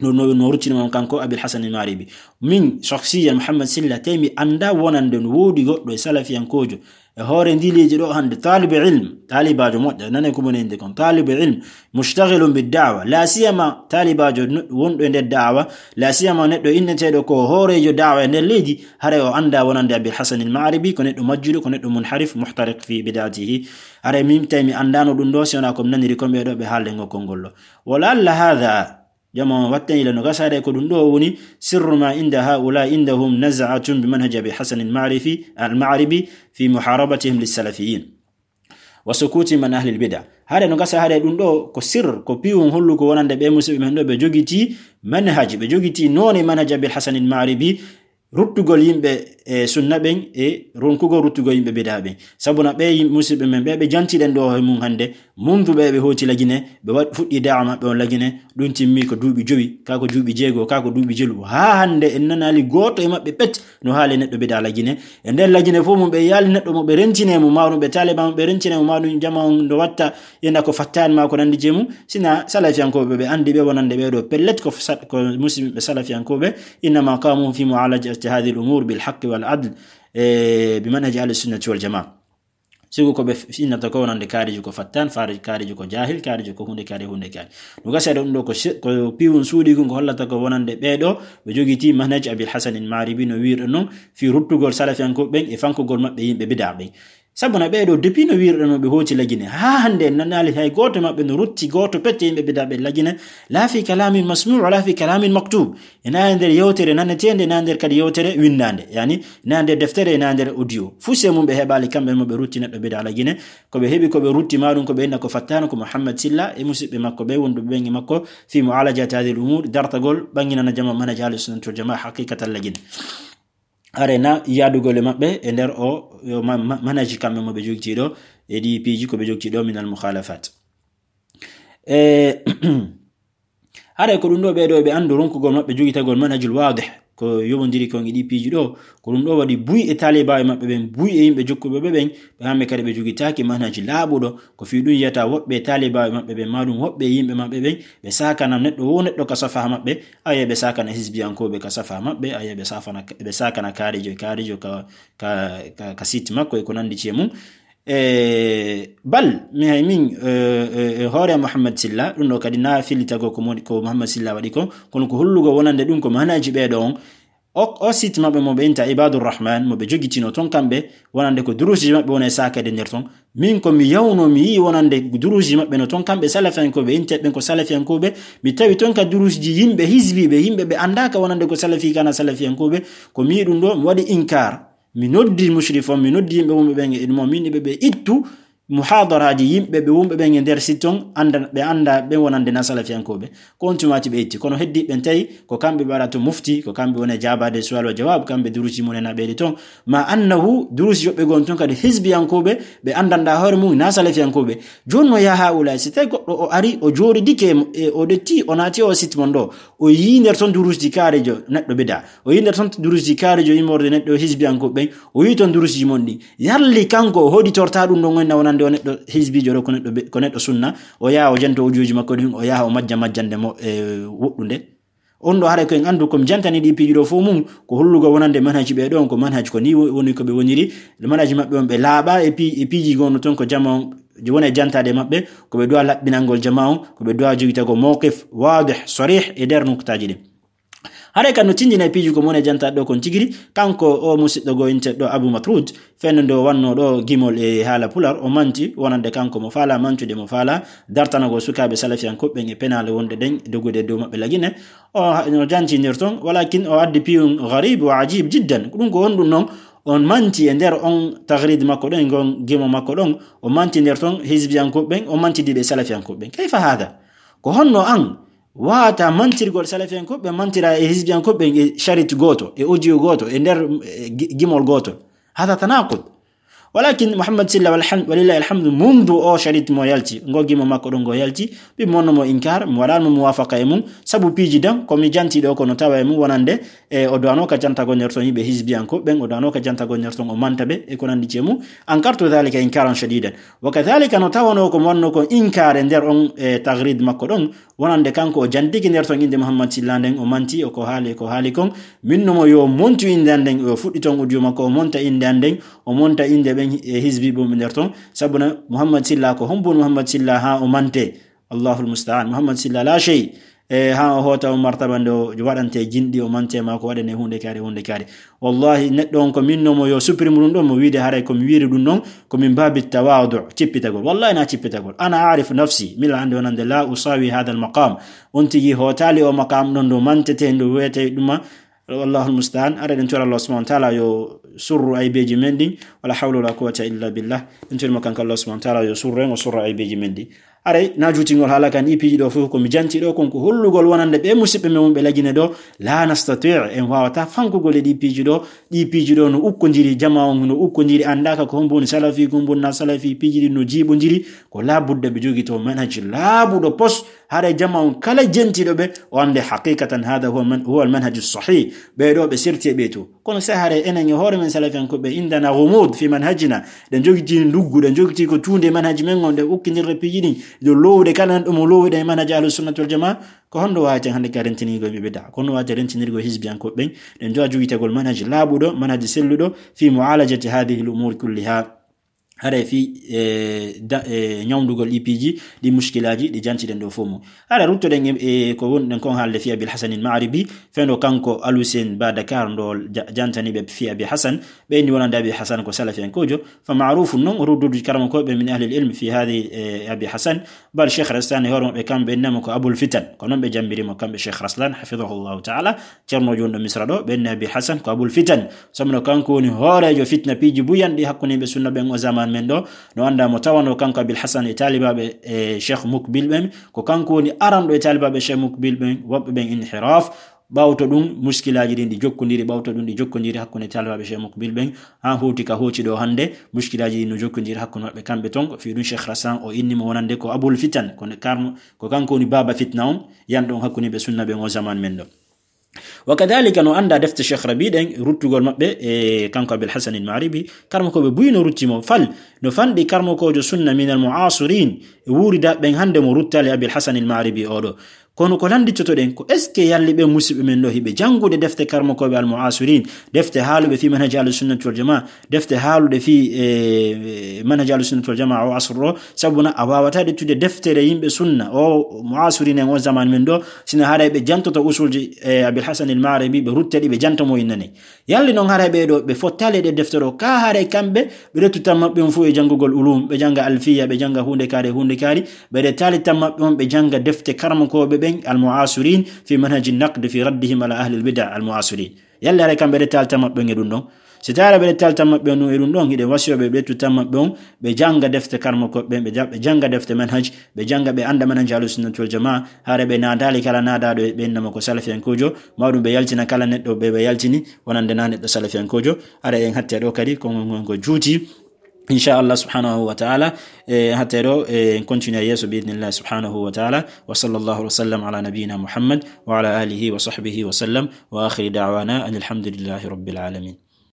No, no, no ruttini mo kanko Abil Hasan al Maghribi. Min, shakhsiyan Muhammad Silla, tawi mi annda wonande no woodi goɗɗo e salafiyankoojo. E hoore ndi leydi ɗo hannde, talibu ilm, taalibaajo moƴƴo, nane ko moni innde kon, talibu ilm, mushtaghilun bid da'wa, la siyama taalibaajo no-, wonɗo e nder da'wa, la siyama neɗɗo inneteeɗo ko hooreejo da'wa e nder leydi, haray o annda wonande Abil Hasan al Maghribi, ko neɗɗo majjuɗo, ko neɗɗo munharif, muhtariq fi bid'atihi. Haray min tawi mi anndano ɗum ɗo, si wonaa ko mi naniri ko ɓee ɗo ɓe haalde ngo konngol ɗo. Wa la'alla hadha, jama on wattani ila no gasa haray ko ɗum ɗo woni sirru ma inda haula indahum naz'atun bi manhaji Abi Hasan al-Ma'rifi, al-Ma'ribi fi muharabatihim lis-salafiyin wa sukutihim an ahli al-bid'a. Haray no gasa haray ɗum ɗo ko sir, ko piwun holluko wonande ɓe musidɓe men ɗo ɓe jogiti manhaji, ɓe jogiti noone manhaji Abil Hasan al-Ma'ribi, ruttugol yimɓe e sunna ɓen e ronkugol ruttugol yimɓe bida ɓen. Sabu na ɓe yim-, musidɓe men ɓe, ɓe jantiɗen ɗo e mum hannde, mundu ɓe ɓe hooti Lagine, ɓe waɗ-, fuɗɗi da'wa maɓɓe on Lagine, ɗum timmi ko duuɓi jowi, kaa ko duuɓi jeego, kaa ko duuɓi jelu. Haa hannde en nanaali gooto e maɓɓe pet no haali neɗɗo bida Lagine. E nder Lagine fof mum ɓe yaali neɗɗo mo ɓe rentine mo, maa ɗum ɓe taaliba mo ɓe rentine mo, maa ɗum jama on no watta ina ko fattaani maa ko nanndi jee mum. Sina salafiyankooɓe ɓe anndi ɓe wonande ɓee ɗo pellet ko sat-, ko musidɓe salafiyankooɓe, innama qamu fi mu'alajati hadhihi al-umur bil haqqi wal adl, e, bi manhaji ahli sunnati wal jamaa. Sibu ko ɓe f-, innata ko wonande kaarijo ko fattaan, faari-, kaarijo ko jaahil, kaarijo ko huunde kaari, huunde kaari. No gasa ɗum ɗo ko se-, ko piwun suuɗi kun ko hollata ko wonande ɓee ɗo ɓe jogiti manhaji Abil Hasan al Maghribi no wiirɗo non fi ruttugol salafiyankooɓe ɓen e fankugol maɓɓe yimɓe bida ɓen. Sabu na ɓee ɗo, depuis no wiirɗo no ɓe hooti Lagine, haa hannde en nanaali hay gooto maɓɓe no rutti gooto pecce yimɓe bida ɓe Lagine, la fi kalamin masmu', wala fi kalamin maktub. Ina e nder yewtere naneteende, ina e nder kadi yewtere winndaande. Yani, ina e nder deftere, ina e nder audio. Fuu se mum ɓe heɓaali kamɓe mo ɓe rutti neɗɗo bida Lagine. Ko ɓe heɓi, ko ɓe rutti maa ɗum, ko ɓe inna ko fattaano, ko Muhammad Silla e musidɓe makko ɓe, wonduɓe ɓen e makko, fi mu'alajati hadhihi al-umur, dartagol, ɓanginana jama manhaji ahli sunnati wal jamaa, haqiqatan Lagine. Are na yaadugol e maɓɓe e nder o, yo ma-, ma-, manhaji kamɓe mo ɓe jogiti ɗo, e ɗi piiji ko ɓe jogiti ɗo min al mukhalafat. E, hare ko ɗum ɗo ɓee ɗo ɓe anndu ronkugol maɓɓe jogitagol manhajul waadih, ko yowondiri kon e ɗi piiji ɗo, ko ɗum ɗo waɗi buy e taalibaaɓe maɓɓe ɓen, buy e yimɓe jokkuɓe ɓe ɓen, ɓe kamɓe kadi ɓe jogitaaki manhaji laaɓuɗo, ko fii ɗum yiyata woɓɓe e taalibaaɓe maɓɓe ɓen, maa ɗum woɓɓe e yimɓe maɓɓe ɓen, ɓe saakana neɗɗo wo neɗɗo ka safa maɓɓe, aye ɓe saakana hisbiyankooɓe ka safa maɓɓe, aye ɓe saafana, ɓe saakana kaarijo e kaarijo ka, ka, ka, ka site makko e ko nanndi ci e mum. E, bal, mi hay min, e, e, e hoore Muhammad Silla, ɗum ɗo kadi na fillitago ko moni, ko Muhammad Silla waɗi ko, kono ko hollugo wonande ɗum ko manhaji ɓee ɗo on. O, o site maɓɓe mo ɓe inta Ibadur Rahman, mo ɓe jogitino ton kamɓe, wonande ko duruuji maɓɓe wona e saakade nder ton. Min ko mi yawno, mi yii wonande duruuji maɓɓe no ton kamɓe salafiyankooɓe, inte ɓen ko salafiyankooɓe, mi tawi ton ka duruuji yimɓe hisbiiɓe, yimɓe ɓe anndaaka wonande ko salafi kana salafiyankooɓe, ko mi yii ɗum ɗo, mi waɗi inkaar. Mi noddi mushrif on, mi noddi yimɓe wonɓe ɓen e ɗum on, min ɓe, ɓe ittu muhadaraaji yimɓe ɓe wonɓe ɓen e nder site on, annda, ɓe annda ɓen wonande na salafiyankooɓe. Ko on tuma waati ɓe itti. Kono heddi ɓen tawi ko kamɓe ɓe waɗa to mufti, ko kamɓe woni e jaabaade suwal wa jawaab, kamɓe duruuji mum en a ɓeydi ton. Ma annahu duruuji yoɓɓe gon ton kadi hisbiyankooɓe, ɓe anndanɗa hoore mum na salafiyankooɓe. Jooni no yaa haa'ulaa'i, si tawi goɗɗo o ari, o jooɗidike e mo-, e o ɗetti, o naati o site mon ɗo, o yii nder ton duruuji kaarijo neɗɗo bida. O yii nder ton duruuji kaarijo immorde neɗɗo hisbiyankooɓe ɓen. O yii ton duruuji mon ɗi. Yalli kanko o hoɗitorta ɗum ɗon wonna wonande o neɗɗo hisbiijo ɗo, ko neɗɗo be-, ko neɗɗo sunna. O yaha o janto ujuuji makko ɗin, o yaha o majja majjande mo, e, woɗɗunde. On ɗo haray ko en anndu ko mi jantani ɗi piiji ɗo fof mum, ko hollugo wonande manhaji ɓe ɗon, ko manhaji ko ni wo-, woni ko ɓe woniri. Manhaji maɓɓe on ɓe laaɓa e pi-, e piiji gonno ton ko jama on, je wona e jantaade maɓɓe, ko ɓe duwa laɓɓinangol jama on, ko ɓe duwa jogitago mawqif waadih, sarih e nder nuktaaji ɗin. Haray kan no tindina e piiji ko mone jantaɗo kon tigiri, kanko o musidɗo go inteɗo Abu Matrud, fennude o wanno ɗo gimol e haala pular, o manti wonande kanko mo faala mantude, mo faala dartanagol sukaaɓe salafiyankooɓe ɓen e penaale wonde ɗen dogude e dow maɓɓe Lagine. O ha-, no jantinir ton, walakin o addi piyun gharib wa ajib jiddan. Ko ɗum ko honɗum non, on manti e nder on tagrid makko ɗon, e ngon gimo makko ɗon, o manti nder ton hizbiyankooɓe ɓen, o manti ɗiɓe salafiyankooɓe ɓen. Kayfa hada? Ko honno an waata mantirgol salafiyankooɓe, mantira e hizbiyankooɓe e charit gooto, e audio gooto, e nder, e gi-, gimol gooto. Hada tanaqud. Walakin Muhammad Silla, walham-, walillahi alhamdu, mundu o sharit mo yalti, ngo gimo makko ɗon ngo yalti, mi monno mo inkar, mi waɗano mo muwafaqa e mum, sabu piiji dan, ko mi janti ɗo ko no tawa e mum wonande, e o duwano ka jantagol nder ton yimɓe hizbiyanko ɓen, o duwano ka jantagol nder ton o manta ɓe, e ko nandi e mum, ankartu dhalika inkaran shadidan. Wa kadhalika no tawano ko mi wanno ko inkar e nder on, e, tagrid makko ɗon, wonande kanko o jantiki nder ton innde Muhammad Silla nden, o manti, o ko haali, ko haali kon. Min no mo yo montu innde an nden, o fuɗɗi ton audio makko, o monta innde an nden, o monta innde ɓen, e, hizbi ɓum nder ton. Sabuna Muhammad Silla ko hombun Muhammad Silla ha o mante. Allahul musta'an. Muhammad Silla la shay. E, ha o hota o martaba nde o waɗante jinɗi, o mante ma ko waɗane hunde kaari, hunde kaari. Wallahi, neɗɗo on ko min no mo yo supprimu ɗum ɗon, mo wiide haray ko mi wiiri ɗum ɗon, ko min babi tawadu, cippitagol. Wallahi na cippitagol. Ana arif nafsi, mila ande wonande la usawi hadha al maqam. On tigi hotali o maqam ɗon ɗo mantete, ɗo wiyete ɗuma. Wallahul musta'an. Ara ɗen tora Allah subhanahu wa ta'ala yo surru aybeji men ɗin. Wala hawla wala quwwata illa billah. Ɗen tori mo kanko Allah subhanahu wa ta'ala yo surru en, o surra aybeji men ɗin. Aray, na juutingol haala kan, ɗi piiji ɗo fof ko mi janti ɗo, kon ko hollugol wonande ɓe musiɓɓe men wonɓe Lagine ɗo, la nastati', en wawata fankugol e ɗi piiji ɗo, ɗi piiji ɗo no ukkodiri, jama on no ukkodiri, andaka ko hombo woni salafi, ko hombo woni na salafi, piiji ɗi no jiiɓodiri, ko labudda ɓe jogito manhaj laaɓuɗo pos, haray jama on kala jentiɗo ɓe, o ande haqiqatan hada huwa man-, huwa al manhaju sahih, ɓe ɗo ɓe serti e ɓe to. Kono se hare enen e hoore men salafiyankoɓe indana ghumud fi manhajina, ɗen jogiti nduggu, ɗen jogiti ko tuunde e manhaji men on, ɗen ukkindirre piiji ɗin, ɗo lowude kala nan ɗum o lowude e manhaji ahlus sunnati wal jamaa, ko honno waweten hannde ka rentinirgol ɓe bid'a? Ko honno waweten rentinirgol hizbiyankoɓe ɓen? Ɗen jowa jogitagol manhaji laaɓuɗo, manhaji selluɗo fi mu'alajati hadhihi al umur kulliha. Haray fi, e, da-, e, ñawndugol ɗi piiji, ɗi mushkilaaji, ɗi jantiɗen ɗo fof mum. Haray ruttoɗen e, e ko wonɗen kon haalde fi Abil Hasan al Ma'ribi, feno kanko Al Hussein ba Dakar ndo ja-, jantani ɓe fi Abi Hasan, ɓe inni wonande Abi Hasan ko salafiyankojo, fa ma'rufun non, ruddudu karama ko ɓe min ahli al ilm fi hadi, e, Abi Hasan, bal Cheikh Raslan e hoore maɓɓe kamɓe innama ko Abul Fitan, ko non ɓe jambiri mo kamɓe Cheikh Raslan, hafidahullahu ta'ala, Ceerno wonɗo Misra ɗo, ɓe inni Abi Hasan ko Abul Fitan. Sabu no kanko woni hooreejo fitna piiji buyanɗi hakkunde yimɓe sunna ɓen o zaman men ɗo. No anndaa mo tawano kanko Abil Hasan e taalibaaɓe e Cheikh Mukbil ɓen. Ko kanko woni aranɗo e taalibaaɓe Cheikh Mukbil ɓen, woɓɓe ɓen inhiraf. Ɓawto ɗum, muskilaaji ɗin ɗi jokkondiri, ɓawto ɗum ɗi jokkondiri hakkunde taalibaaɓe Cheikh Mukbil ɓen. Haa hoti ka hoti ɗo hannde, muskilaaji ɗin no jokkondiri hakkunde maɓɓe kamɓe ton. Ko fii ɗum Cheikh Raslan o inni mo wonande ko Abul Fitan, ko ne karmo, ko kanko woni baaba fitna on, yanɗo on hakkunde yimɓe sunna ɓen o zaman men ɗo. Wa kadhalika no anndaa defte Cheikh Rabi ɗen, ruttugol maɓɓe e kanko Abil Hasan al Ma'ribi, karmokooɓe buy no rutti mo fal, no fanɗi karmokoojo sunna min al mu'asirin, e wuuridaa ɓen hannde mo ruttali Abil Hasan al Ma'ribi oɗo. Kono ko lannditotoɗen ko est-ce que yalli ɓe musiɓɓe men ɗo hiɓe janngude defte karmokooɓe al mu'asirin, defte haaluɓe fi manhaji ahlus sunnati wal jamaa, defte haaluɗe fii, e, manhaji ahlus sunnati wal jamaa o asru ɗo, sabu na a waawata ƴettude deftere yimɓe sunna, o mu'asirin en o zaman men ɗo, sina haray ɓe jantoto usulji, e, Abil Hasan al Ma'ribi, ɓe rutte ɗi, ɓe janto mo innane. Yalli non haray ɓe ɗo, ɓe fottali ɗe deftere o, ka haray kamɓe, ɓe ƴettu tan maɓɓe on fof e janngugol ulum, ɓe jannga alfiya, ɓe jannga huunde kaari, huunde kaari, ɓe ƴettaali tan maɓɓe on, ɓe jannga defte karamokooɓe ɓen, al mu'asirin, fi manhaji naqd, fi raddihim ala ahli al bid'a al mu'asirin. Yalla haray kamɓe ɓe ƴettaali tan maɓɓe on e ɗum ɗon. Si tawi ɓe ƴettaali tan maɓɓe on e ɗum ɗon, hiɗen wasiyo ɓe ɓe ƴettu tan maɓɓe on, ɓe jannga defte karmokooɓe ɓen, ɓe ja-, ɓe jannga defte manhaj, ɓe jannga ɓe annda manhaj ahlus sunnati wal jamaa, haray ɓe naadaali kala naadaaɗo e ɓe innama ko salafiyankojo, mawɗum ɓe yaltina kala neɗɗo ɓe ɓe yaltini, wonande na neɗɗo salafiyankojo, haray en hatte ɗo kadi ko, ko, ko juuti. Inchallah subhanahu wa ta'ala, e, hatte ɗo, e, en continue yeeso bi idhnillah subhanahu wa ta'ala. Wa sallallahu wa sallam ala nabiyyina Muhammad wa ala alihi wa sahbihi wa sallam. Wa akhiru da'wana anil hamdulillahi rabbil alamin.